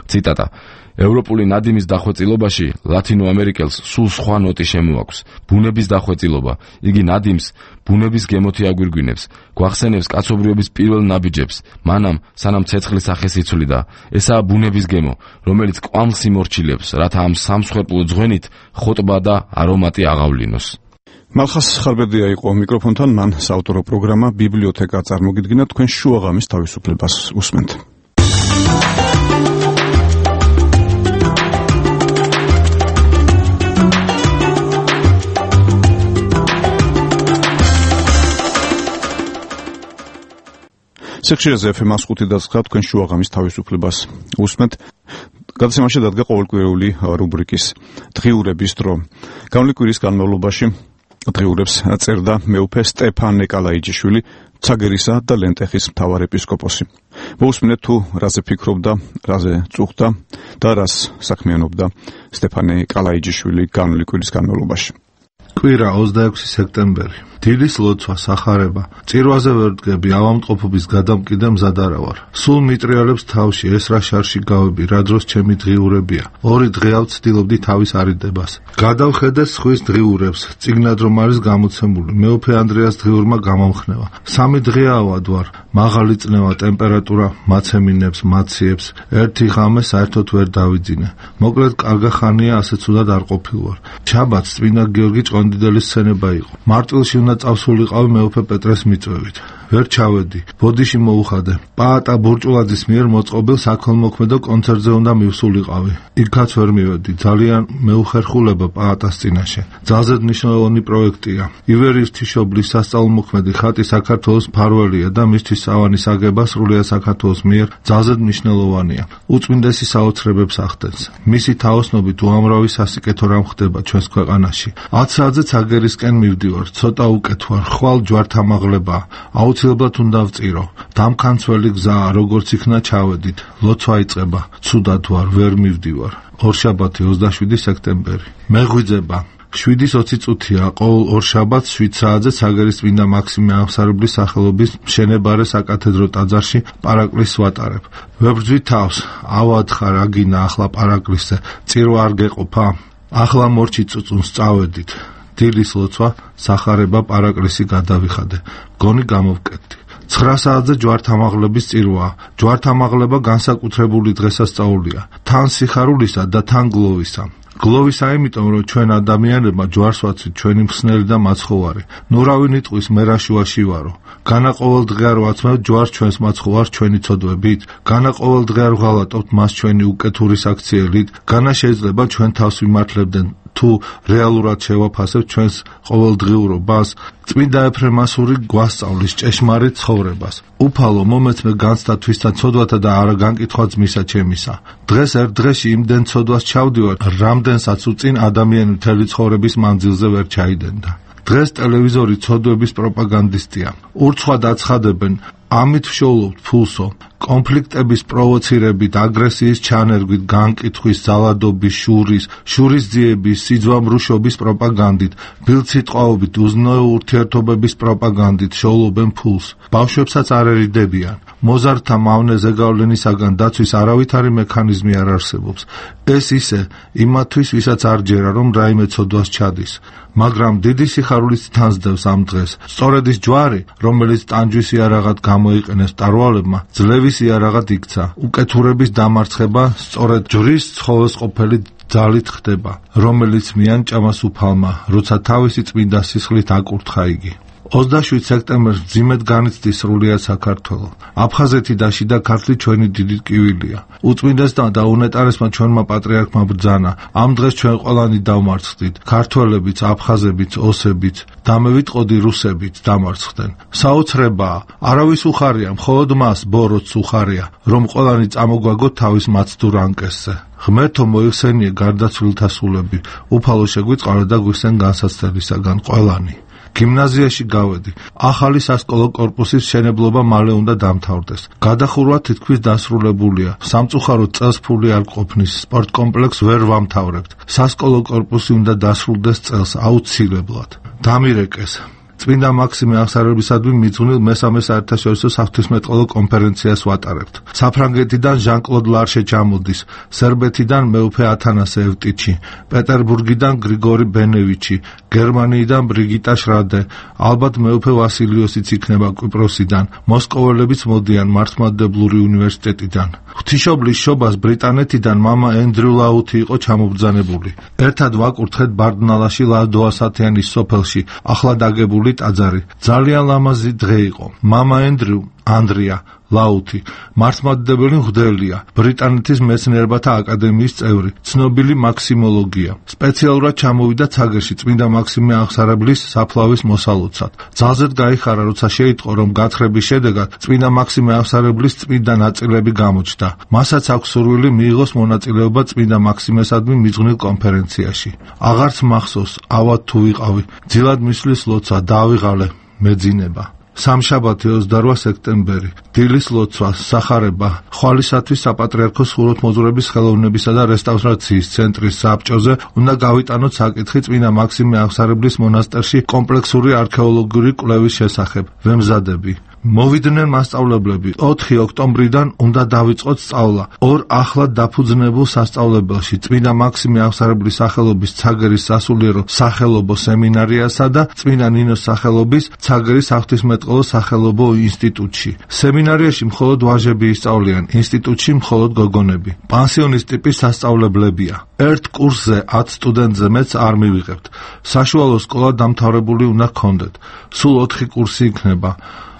ციტატა: ევროპული ნადიმის დახვეწილობაში ლათინოამერიკელს სულ სხვა ნოტი შემოაქვს. ბუნების დახვეწილობა. იგი ნადიმს ბუნების გემოთი აგვირგვინებს, გვახსენებს კაცობრიობის პირველ ნაბიჯებს, მანამ სანამ ცეცხლი სახეს იცვლიდა. ესაა ბუნების გემო, რომელიც კვამლს იმორჩილებს, რათა ამ სამსხვერპლო ძღვენით ხოტბა და არომატი აღავლინოს. მალხას ხარბედია იყო მიკროფონთან, მან საავტორო პროგრამა ბიბლიოთეკა წარმოგიდგინა, თქვენ შუაღამის თავისუფლებას უსმენთ. სიხშირეზე ეფ ემ ხუთი და ცხრა თქვენ შუაღამის თავისუფლებას უსმენთ. გადაცემაში დადგა ყოველკვირეული რუბრიკის დღიურების დრო. გამლი კვირის განმავლობაში დღიურებს წერდა მეუფე სტეფან ნეკალაიჯიშვილი, ცაგერისა და ლენტეხის მთავარ ეპისკოპოსი. მოусმინეთ თუ რაზე ფიქრობდა, რაზე წუხდა და რას საქმიანობდა სტეფანე კალაიჯიშვილი გამლი კვირის განმავლობაში. კვირა ოცდაექვსი სექტემბერი. დილის ლოცვა, სახარება. წირვაზე ვერ დგები, ავადმყოფობის გადამკიდე მზად არა ვარ. სულ მიტრიალებს თავში, ეს რა შარში გავები, რა დროს ჩემი დღიურებია. ორი დღეავ ცდილობდი თავის არიდებას. გადავხედე სხვის დღიურებს, წიგნად რომ არის გამოცემული. მეუფე ანდრეას დღიურმა გამომხნევა. სამი დღეავად ვარ, მაღალი წნევა, ტემპერატურა მაცემინებს, მაციებს. ერთი ღამე საერთოდ ვერ დავიძინე. მოკლედ კარგა ხანია, ასე ცუდად არ ყოფილ ვარ. შაბათს წმინდა გიორგი ჭყონდიდელის სცენება იყო. მარტვილში უნდა წავსულიყავი მეუფე პეტრეს მიწვევით. ვერ ჩავედი. ბოდიში მოუხადე. პაატა ბურჭულაძის მიერ მოწყობილ საქველმოქმედო კონცერტზე უნდა მივსულიყავი. იქაც ვერ მივედი. ძალიან მეუხერხულება პაატას წინაშე. ძალზედ მნიშვნელოვანი პროექტია. ივერი ღვთისმშობლის სასწაულმოქმედი ხატი საქართველოს მფარველია და მისთვის სავანის აგება სრულიად საქართველოს მიერ ძალზედ მნიშვნელოვანია. უწმინდესი საოცრებებს ახდენს. მისი თაოსნობით უამრავი სასიკეთო რამ ხდება ჩვენს ქვეყანაში. ათ საათზე ცაგერისკენ მივდივარ. ცოტა უკეთ ვარ. ხვალ ჯვართამაღლება. აუცილებლად უნდა ვწირო. დამქანცველი გზაა, როგორც იქნა ჩავედით. ლოცვა იწყება. ცუდად ვარ, ვერ მივდივარ. ორშაბათი ოცდაშვიდი სექტემბერი. მეღვიძება. შვიდის ოცი წუთია, ყოველ ორშაბათს შვიდ საათზე ცაგერის წმინდა მაქსიმე აღმსარებლის სახელობის მშენებარე საკათედრო ტაძარში პარაკლისს ვატარებ. ვებრძვი თავს, ავათხარ აგინა ახლა პარაკლისზე, წირვა არ გეყოფა? ახლა მორჩი წუწუნს წავედით. დილის ლოცვა, სახარება, პარაკლისი გადავიხადე. გონი გამოვკეტდი. ცხრა საათზე ჯვართამაღლების წირვაა. ჯვართამაღლება განსაკუთრებული დღესასწაულია. თან სიხარულისა და თან გლოვისა. გლოვისა იმიტომ, რომ ჩვენ ადამიანებმა ჯვარს ვაცვით, ჩვენი მხსნელი და მაცხოვარი. ნურავი ნიტყვის მერაშუაში ვარო. განა ყოველ დღე არ ვაცმევთ ჯვარს ჩვენს მაცხოვარს ჩვენი ცოდვებით? განა ყოველ დღე არ ვღალატობთ მას ჩვენი უკეთურის აქციელით? განა შეიძლება ჩვენ თავს ვიმართლებდნენ თუ რეალურად შევაფასებთ ჩვენს ყოველდღიურობას? წმინდა ეფრემასური გვასწავლის ჭეშმარიტ ცხოვრებას. უფალო მომეცმე განცდა თვისთა ცოდვათა და არა განკითხვა ძმისა ჩემისა. დღეს ერთ დღეში იმდენ ცოდვას ჩავდივარ, რამდენსაც უწინ ადამიანი მთელი ცხოვრების მანძილზე ვერ ჩაიდენდა. დღეს ტელევიზორი ცოდვების პროპაგანდისტია. ურცხვად აცხადებენ, ამით ვშოულობთ ფულსო. კონფლიქტების პროვოცირებით, აგრესიის ჩანერგვით, განკითხვის, ძალადობის, შურის, შურის ძიების, სიძვამრუშობის პროპაგანდით, ბილწსიტყვაობით, უზნეო ურთიერთობების პროპაგანდით შოულობენ ფულს. ბავშვებსაც არ ერიდებიან. მოზარდთა მავნე ზეგავლენისაგან დაცვის არავითარი მექანიზმი არ არსებობს. ეს ისე იმათთვის, ვისაც არ ჯერა, რომ რაიმე ცოდვას ჩადის. მაგრამ დიდი სიხარულით თანსდევს ამ დღეს. სწორედ ის ჯვარი, რომელიც ტანჯვის იარაღად გამოიყენეს მტარვალებმა, ძლევის იარაღად იქცა. უკეთურების დამარცხება სწორედ ჯვრის ცხოველსყოფელი ძალით ხდება, რომელიც მიანჭამას უფალმა, როცა თავისი წმინდა სისხლით აკურთხა იგი. ოცდაშვიდ სექტემბერს მძიმედ განიცდის სრულიად საქართველო. აფხაზეთი და შიდა ქართლი ჩვენი დიდი ტკივილია. უწმინდესმა და უნეტარესმა ჩვენმა პატრიარქმა ბრძანა. ამ დღეს ჩვენ ყველანი დავმარცხდით. ქართველებიც, აფხაზებიც, ოსებიც, დამევიტყოდი რუსებიც დამარცხდნენ. საოცრებაა, არავის უხარია, მხოლოდ მას ბოროტს უხარია, რომ ყველანი წამოგვაგოთ თავის მაცდურ ანკესზე. ღმერთო მოიხსენიე გარდაცვლილთა სულები, უფალო შეგვიწყარო და გვიხსენ განსაცდელისაგან ყველანი. გიმნაზიაში გავედი. ახალი სასკოლო კორპუსის მშენებლობა მალე უნდა დამთავრდეს. გადახურვა თითქმის დასრულებულია. სამწუხაროდ წელს ფული არ ყოფნის. სპორტ კომპლექსს ვერ ვამთავრებთ. სასკოლო კორპუსი უნდა დასრულდეს წელს აუცილებლად. დამირეკეს. წმინდა მაქსიმე აღსარებისადმი მიძღვნილ მესამე საერთაშორისო საღვთისმეტყველო კონფერენციას ვატარებთ. საფრანგეთიდან ჟან-კლოდ ლარშე ჩამოდის, სერბეთიდან მეუფე ათანასე ევტიჩი, პეტერბურგიდან გრიგორი ბენევიჩი, გერმანიიდან ბრიგიტა შრადე, ალბათ მეუფე ვასილიოსიც იქნება კვიპროსიდან, მოსკოველებიც მოდიან მართლმადიდებლური უნივერსიტეტიდან. ღვთისმშობლის შობას ბრიტანეთიდან მამა ენდრიუ ლაუთი იყო ჩამობრძანებული. ერთად ვაკურთხეთ ბარდნალაში ლადოასათიანის სოფელში, ახლა დაგებული ტაძარი. ძალიან ლამაზი დღე იყო. მამა ენდრიუ, ანდრია ლაუთი, მართლმადიდებელი მღვდელია, ბრიტანეთის მეცნიერებათა აკადემიის წევრი, ცნობილი მაქსიმოლოგია. სპეციალურად ჩამოვიდა ცაგერში წმინდა მაქსიმე აღსარებლის საფლავის მოსალოცად. ძალზედ გაიხარა, როცა შეიტყო, რომ გათხრების შედეგად წმინდა მაქსიმე აღსარებლის წმინდა ნაწილები გამოჩნდა. მასაც აქვს სურვილი მიიღოს მონაწილეობა წმინდა მაქსიმესადმი მიძღვნილ კონფერენციაში. აღარც მახსოვს, ავად თუ ვიყავი, ძილად მისვლის ლოცვა, დავიღალე, მეძინება. სამშაბათი ოცდარვა სექტემბერი. დილის ლოცვა, სახარება, ხვალისათვის საპატრიარქოს ხუროთმოძღვრების ხელოვნებისა და რესტავრაციის ცენტრის საბჭოზე უნდა გავიტანოთ საკითხი წმინდა მაქსიმე აღსარებლის მონასტერში კომპლექსური არქეოლოგიური კვლევის შესახებ. ვემზადები. მოვიდნენ მასწავლებლები. ოთხი ოქტომბრიდან უნდა დავიწყოთ სწავლა. ორ ახლად დაფუძნებულ სასწავლებელში წმინდა მაქსიმე აღსარებლის სახელობის ცაგერის სასულიერო სახელობო სემინარიასა და წმინდა ნინოს სახელობის ცაგერის საღვთისმეტყველო სახელობო ინსტიტუტში. სემინარიაში მხოლოდ ვაჟები ისწავლიან, ინსტიტუტში მხოლოდ გოგონები. პანსიონის ტიპის სასწავლებლებია. ერთ კურსზე ათ სტუდენტზე მეც არ მივიღებთ. საშუალო სკოლა დამთავრებული უნდა გქონდეთ. სულ ოთხი კურსი იქნება.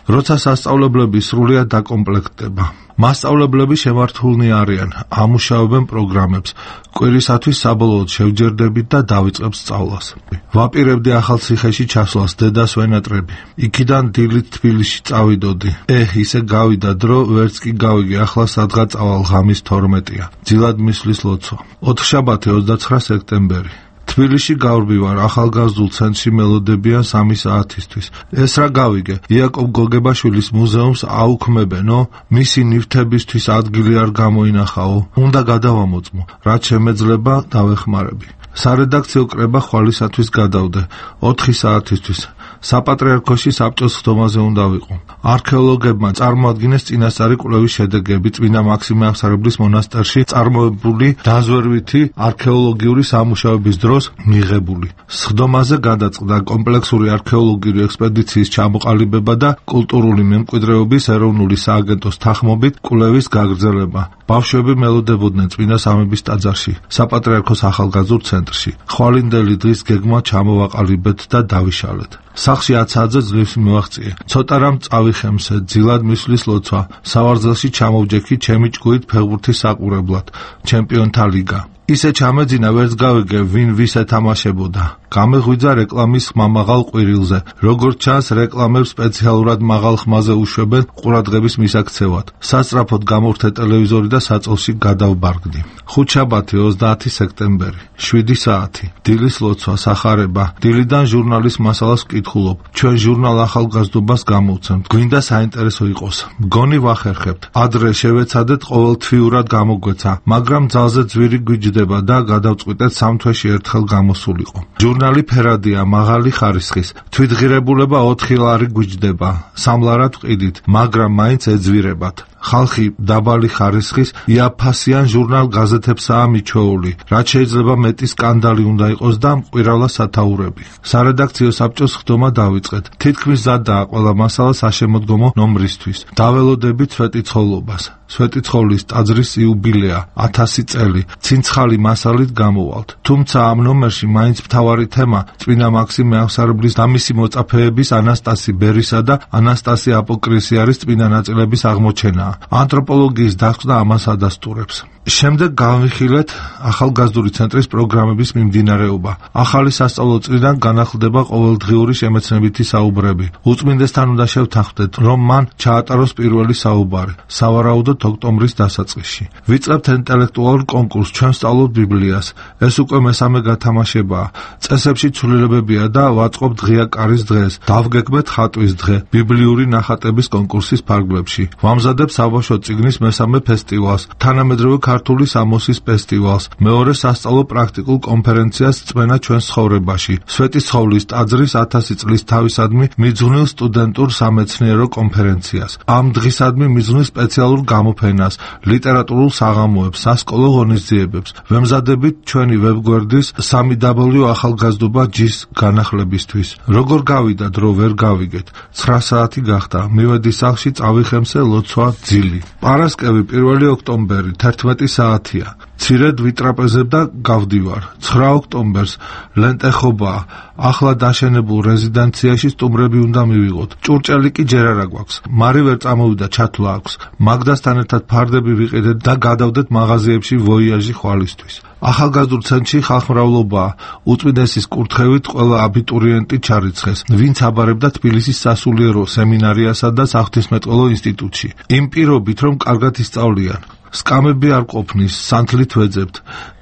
როცა სასწავლებლები სრულიად დაკომპლექტდება. მასწავლებლები შემართულნი არიან, ამუშავებენ პროგრამებს, კვირისათვის საბოლოოდ შევჯერდებით და დავიწყებთ სწავლას. ვაპირებდი ახალციხეში ჩასვლას, დედას ვენატრები. იქიდან დილით თბილისში წავიდოდი. ეჰ, ისე გავიდა დრო, ვერც კი გავიგე, ახლა სადღაც წავალ, ღამის თორმეტია. ძილად მისვლის ლოცვა. ოთხშაბათი ოცდაცხრა სექტემბერი. თბილისში გავრბივარ ახალგაზრდულ ცენტრში მელოდებიან სამი საათისთვის. ეს რა გავიგე, იაკობ გოგებაშვილის მუზეუმს აუქმებენო, მისი ნივთებისთვის ადგილი არ გამოინახაო, უნდა გადავამოწმო, რაც შემეძლება დავეხმარები. სარედაქციო კრება ხვალისათვის გადავდე, ოთხი საათისთვის. საპატრიარქოში საბჭოს ხდომაზე უნდა ვიყო. არქეოლოგებმა წარმოადგინეს წინასწარი კვლევის შედეგები წმინდა მაქსიმე აღსარებლის მონასტერში წარმოებული დაზვერვითი არქეოლოგიური სამუშაოების დროს მიღებული. სხდომაზე გადაწყდა კომპლექსური არქეოლოგიური ექსპედიციის ჩამოყალიბება და კულტურული მემკვიდრეობის ეროვნული სააგენტოს თანხმობით კვლევის გაგრძელება. ბავშვები მელოდებოდნენ წმინდა სამების ტაძარში, საპატრიარქოს ახალგაზრდულ ცენტრში. ხვალინდელი დღის გეგმა ჩამოვაყალიბეთ და დავიშალეთ. სახლში ათ საათზე ძლივს მივაღწიე. ცოტა რამ წავიხემსე, ძილად მისვლის ლოცვა. სავარძელში ჩამოვჯექი ჩემი ჭკუით ფეხბურთის საყურებლად. ჩემპიონთა ლიგა. ისე ჩამეძინა, ვერც გავიგე, ვინ ვის ეთამაშებოდა. გამეღვიძა რეკლამის ხმამაღალ ყვირილზე. როგორც ჩანს, რეკლამებს სპეციალურად მაღალ ხმაზე უშვებენ ყურადღების მისაქცევად. სასწრაფოდ გამოვრთე ტელევიზორი და საწოლში გადავბარგდი. ხუთშაბათი ოცდაათი სექტემბერი. შვიდი საათი. დილის ლოცვა, სახარება. დილიდან ჟურნალის მასალას ვკითხულობ. ჩვენ ჟურნალ ახალგაზრდობას გამოვცემთ. გვინდა საინტერესო იყოს. მგონი ვახერხებთ. ადრე შევეცადეთ ყოველთვიურად გამოგვეცა, მაგრამ ძალზე ძვირი გვიჯდება და გადავწყვიტეთ სამ თვეში ერთხელ გამოსულიყო. ჟურნალი ფერადია, მაღალი ხარისხის. თვითღირებულება ოთხი ლარი გვიჯდება. სამ ლარად ვყიდით, მაგრამ მაინც ეძვირებათ. ხალხი დაბალი ხარისხის იაფასიან ჟურნალ გაზეთებსაა მიჩვეული, რაც შეიძლება მეტი სკანდალი უნდა იყოს და მყირალა სათაურები. სარედაქციო საბჭოს ხდომა დავიწყეთ. თითქმის ზადაა ყველა მასალა საშემოდგომო ნომრისთვის. დაველოდებით სვეტიცხოვლობას. სვეტიცხოვლის ტაძრის იუბილეა, ათასი წელი. ცინცხალი მასალით გამოვალთ. თუმცა ამ ნომერში მაინც მთავარი თემა წმინდა მაქსიმე აღსარებლის და მისი მოწაფეების ანასტასი ბერისა და ანასტასი აპოკრისიარის წმინდა ნაწილების აღმოჩენაა. ანთროპოლოგიის დასკვნა ამას ადასტურებს. შემდეგ განვიხილეთ ახალგაზრდული ცენტრის პროგრამების მიმდინარეობა. ახალი სასწავლო წლიდან განახლდება ყოველდღიური შემეცნებითი საუბრები. უწმინდესთან უნდა შევთანხმდეთ, რომ მან ჩაატაროს პირველი საუბარი, სავარაუდოდ ოქტომბრის დასაწყისში. ვიწყებთ ინტელექტუალურ კონკურსს, ჩვენ ვსწავლობთ ბიბლიას. ეს უკვე მესამე გათამაშებაა. წესებში ცვლილებებია და ვაწყობთ ღია კარის დღეს. დავგეგმეთ ხატვის დღე, ბიბლიური ნახატების კონკურსის ფარგლებში. ვამზადებ საბავშვო წიგნის მესამე ფესტივალს, თანამედროვე ქართული სამოსის ფესტივალს, მეორე სასწავლო პრაქტიკულ კონფერენციას წმენა ჩვენს ცხოვრებაში, სვეტიცხოვლის ტაძრის ათასი წლის თავისადმი მიძღვნილ სტუდენტურ სამეცნიერო კონფერენციას. ამ დღისადმი მიძღვნილ სპეციალურ გამოფენას, ლიტერატურულ საღამოებს, სასკოლო ღონისძიებებს. ვემზადებით ჩვენი ვებგვერდის სამი დაბლიუ ახალგაზრდობა ჯის განახლებისთვის. როგორ გავიდა დრო ვერ გავიგეთ. ცხრა საათი გახდა. მივედი სახლში, წავიხემსე ლოცვა ძილი. პარასკევი პირველი ოქტომბერი თერთმეტი საათია. ცირედ ვიტრაპეზებ და გავდივარ. ცხრა ოქტომბერს ლენტეხობაა. ახლა დაშენებულ რეზიდენციაში სტუმრები უნდა მივიღოთ. ჭურჭელი კი ჯერ არა გვაქვს. მარი ვერ წამოვიდა, ჩათვლა აქვს. მაგდასთან ერთად ფარდები ვიყიდეთ და გადავდეთ მაღაზიებში ვოიაჟი ხვალისთვის. ახალგაზრდულ ცენტრში ხალხმრავლობაა. უწმინდესის კურთხევით ყველა აბიტურიენტი ჩარიცხეს, ვინც აბარებდა თბილისის სასულიერო სემინარიასა და საღვთისმეტყველო ინსტიტუტში. იმ პირობით, რომ კარგად ისწავლიან. სკამები არ ყოფნის, სანთლით ვეძებთ.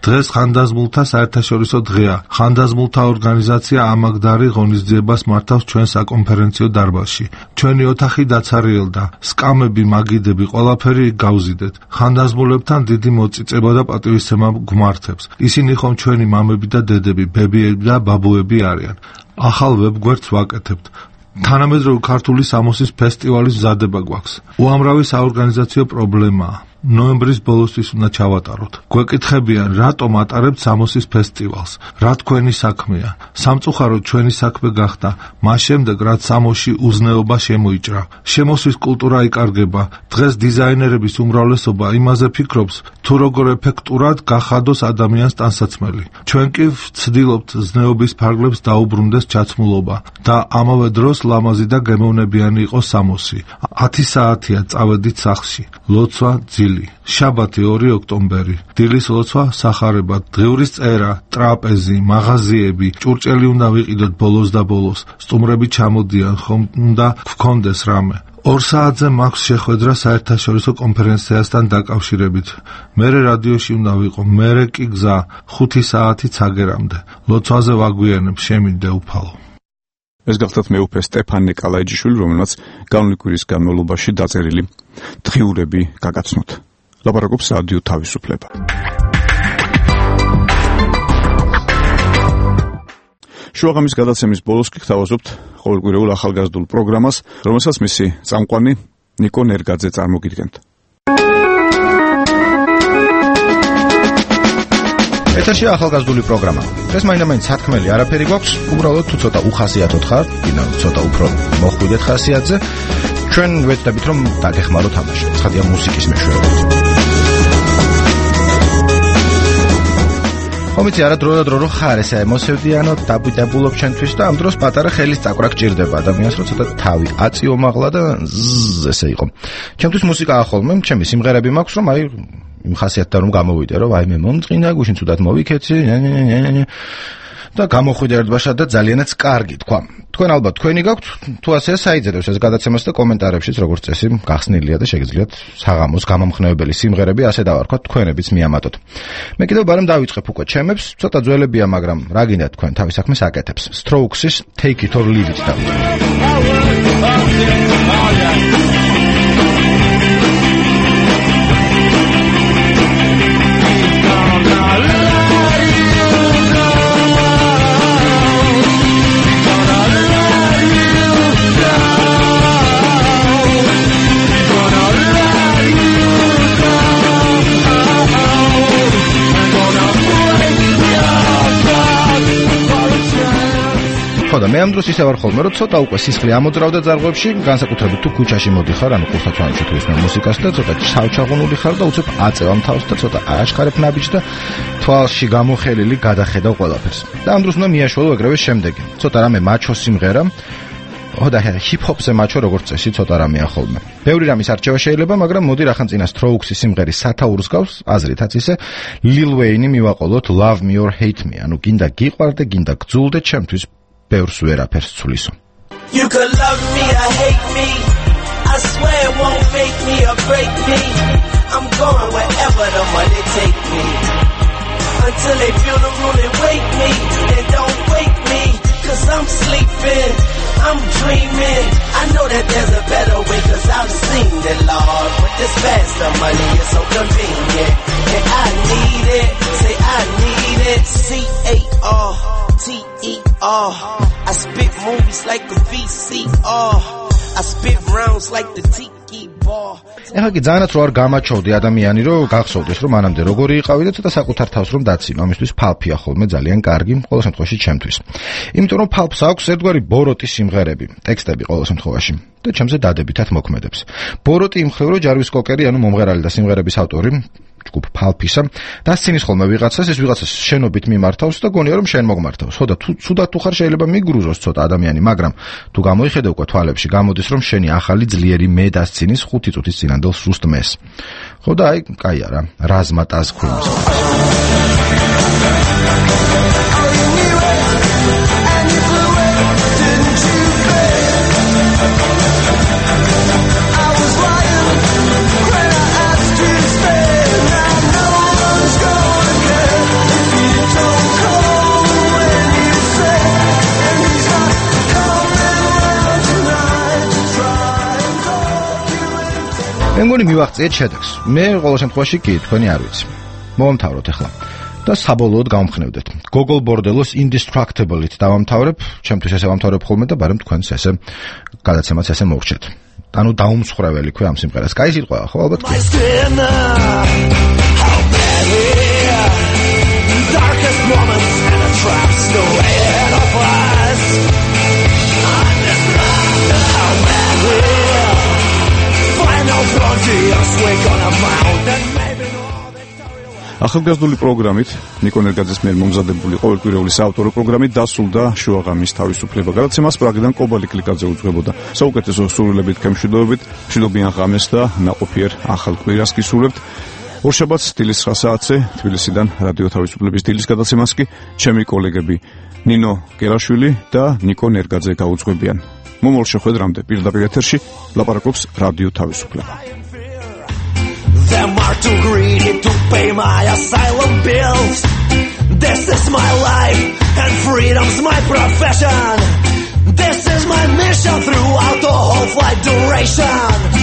დღეს ხანდაზმულთა საერთაშორისო დღეა. ხანდაზმულთა ორგანიზაცია ამაგდარი ღონისძიებას მართავს ჩვენ საკონფერენციო დარბაზში. ჩვენი ოთახი დაცარიელდა. სკამები, მაგიდები, ყველაფერი გავზიდეთ. ხანდაზმულებთან დიდი მოწიწება და პატივისცემა გვმართებს. ისინი ხომ ჩვენი მამები და დედები, ბებიები და ბაბუები არიან. ახალ ვებგვერდს ვაკეთებთ. თანამედროვე ქართული სამოსის ფესტივალის მზადება გვაქვს. უამრავი საორგანიზაციო პრობლემაა. ნოემბრის ბოლოსთვის უნდა ჩავატაროთ. გვეკითხებიან, რატომ ატარებთ სამოსის ფესტივალს? რა თქვენი საქმეა? სამწუხაროდ ჩვენი საქმე გახდა, მას შემდეგ რაც სამოსში უზნეობა შემოიჭრა. შემოსვის კულტურა იკარგება. დღეს დიზაინერების უმრავლესობა იმაზე ფიქრობს, თუ როგორ ეფექტურად გახადოს ადამიანს ტანსაცმელი. ჩვენ კი ვცდილობთ ზნეობის ფარგლებს დაუბრუნდეს ჩაცმულობა და ამავე დროს ლამაზი და გემოვნებიანი იყოს სამოსი. ათი საათია წავედით სახლში. ლოცვა ძილი. შაბათი ორი ოქტომბერი. დილის ლოცვა სახარება, დღევრის წერა, ტრაპეზი, მაღაზიები, ჭურჭელი უნდა ვიყიდოთ ბოლოს და ბოლოს. სტუმრები ჩამოდიან, ხომ უნდა გქონდეს რამე. ორ საათზე მაქვს შეხვედრა საერთაშორისო კონფერენციასთან დაკავშირებით. მერე რადიოში უნდა ვიყო, მერე კი გზა, ხუთი საათი ცაგერამდე. ლოცვაზე ვაგვიანებ, შემინდე უფალო. ეს გახლდათ მეუფე სტეფან ნიკოლაიჯიშვილი, რომელმაც განვლი კვირის განმავლობაში დაწერილი დღიურები გაგაცნოთ. ლაპარაკობს რადიო თავისუფლება. შუაღამის გადაცემის ბოლოს კი გთავაზობთ ყოველკვირეულ ახალგაზრდულ პროგრამას, რომელსაც მისი წამყვანი ნიკო ნერგაძე წარმოგიდგენთ. ეთერში ახალგაზრდული პროგრამა. ეს მაინდა-მაინც სათქმელი არაფერი გვაქვს, უბრალოდ თუ ცოტა უხასიათოთ ხარ, კიდევ ცოტა უფრო მოხვიდეთ ხასიათზე, ჩვენ ვეცდებით რომ დაგეხმაროთ ამაში. ცხადია მუსიკის მეშვეობით. ხომიცი არა დრო და დრო რო ხარ ესე ემოცევდიანო დაბუდებულობ ჩვენთვის და ამ დროს პატარა ხელის წაკვრა გჭირდება ადამიანს, რომ ცოტა თავი აწიომაღლა და ესე იყო. ჩემთვის მუსიკა ახოლმე, ჩემი სიმღერები მაქვს, რომ აი იმ ხასიათთან რომ გამოვიდე, რომ აი მე მომწყინა, გუშინ ცუდად მოვიქეცი, და გამოხვიდე ერთბაშად და ძალიანაც კარგი თქვა. თქვენ ალბათ თქვენი გაქვთ, თუ ასე საიძებებს ეს გადაცემას და კომენტარებშიც როგორც წესი გახსნილია და შეგიძლიათ საღამოს გამომხნევებელი სიმღერები ასე დავარქვათ, თქვენებიც მიამატოთ. მე კიდევ ბარემ დავიწყებ უკვე ჩემებს, ცოტა ძველებია, მაგრამ რა გინდათ თქვენ თავის საქმეს აკეთებს. Strokes-ის Take It or Leave It დავიწყებ. ხოდა მე ამ დროს ისე ვარ ხოლმე, რომ ცოტა უკვე სისხლი ამოძრავდა ძარღვებში, განსაკუთრებით თუ ქუჩაში მოდიხარ, ანუ ყურსაცმელში თუ ისმენ მუსიკას და ცოტა ჩავჩაღუნული ხარ და უცებ აწევამ თავს და ცოტა ააშხარებ ნაბიჯს და თვალში გამოხელილი გადახედავ ყველაფერს. და ამ დროს უნდა მიაშველო ეგრევე შემდეგი. ცოტა რამე მაჩო სიმღერა. ხოდა ჰიპ-ჰოპზე მაჩო როგორც წესი ცოტა რამეა ხოლმე. ბევრი რამის არჩევა შეიძლება, მაგრამ მოდი რახან წინა Strokes-ის სიმღერის სათაურს გავს, აზრითაც ისე Lil Wayne-ი მივაყოლოთ Love Me or Hate Me, ანუ გინდა გიყვარდე, გინდა გძულდე, ჩემთვის ბევრს ვერაფერს ცვლისო. You could love me or hate me, I swear it won't make me or break me. I'm going wherever the money take me, until they feel the room and wake me, and don't wake me, cause I'm sleeping, I'm dreaming. I know that there's a better way, cause I've seen it, Lord. With this faster money, it's so convenient, and I need it, say I need it. C A R T E R, I spit movies like a V C R, I spit rounds like the tiki bar. ეხლა კი ძალიანაც რო არ გამაჩოვდი ადამიანი, რომ გახსოვდეს, რომ მანამდე როგორი იყავი და ცოტა საკუთარ თავს რომ დაცინო, ამისთვის ფალფია ხოლმე ძალიან კარგი, ყოველ შემთხვევაში ჩემთვის. იმიტომ რომ ფალფს აქვს ერთგვარი ბოროტი სიმღერები, ტექსტები ყოველ შემთხვევაში და ჩემზე დადებითად მოქმედებს. ბოროტი იმხრივ, რომ ჯარვის კოკერი, ანუ მომღერალი და სიმღერების ავტორი ჯგუფ ფალფისა დასცინის ხოლმე ვიღაცას, ეს ვიღაცას შენობით მიმართავს და გონია რომ შენ მოგმართავს. ხოდა თუ ცუდად თუ ხარ შეიძლება მიგრუზოს ცოტა ადამიანი, მაგრამ თუ გამოიხედე უკვე თვალებში, გამოდის რომ შენი ახალი ძლიერი მე დასცინის ხუთი წუთის წინანდელ სუსტ მეს. ხოდა აი, კაი არა, რაზმატას ხვიმს. I was lying when I asked you to stay. მგონი მივაღწიეთ შედეგს. მე ყოველ შემთხვევაში კი თქვენი არ ვიცი. მომთავროთ ახლა. და საბოლოოდ გავმხნევდეთ. Gogol Bordellos Indestructible-ით დავამთავრებ, ჩემთვის ესე ვამთავრებ ხოლმე და ბარემ თქვენს ესე გადაცემაც ესე მოვხდეთ. ანუ დაუმსხვრეველი ქვე ამ სიმღერას. კაი სიტყვა, ხო ალბათ კი. Darkest moments and a traps the way ahead of us. Undestructible, how bad we are. Final frontiers, we're gonna mount and maybe ახალგაზრდული პროგრამით ნიკო ნერგაძის მიერ მომზადებული ყოველკვირეული საავტორო პროგრამით დასრულდა შუაღამის თავისუფლება. გადაცემას პრაღიდან კობალი კლიკაძე უძღვებოდა. საუკეთესო სურვილებით ქემშვიდობებით, მშვიდობიან ღამეს და ნაყოფიერ ახალ კვირას გისურვებთ. ორშაბათს დილის ცხრა საათზე თბილისიდან რადიო თავისუფლების დილის გადაცემას კი ჩემი კოლეგები ნინო გელაშვილი და ნიკო ნერგაძე გაუძღვებიან. მომავალ შეხვედრამდე პირდაპირ ეთერში ლაპარაკობს რადიო თავისუფლება. Them are too greedy to pay my asylum bills. This is my life and freedom's my profession. This is my mission throughout the whole flight duration.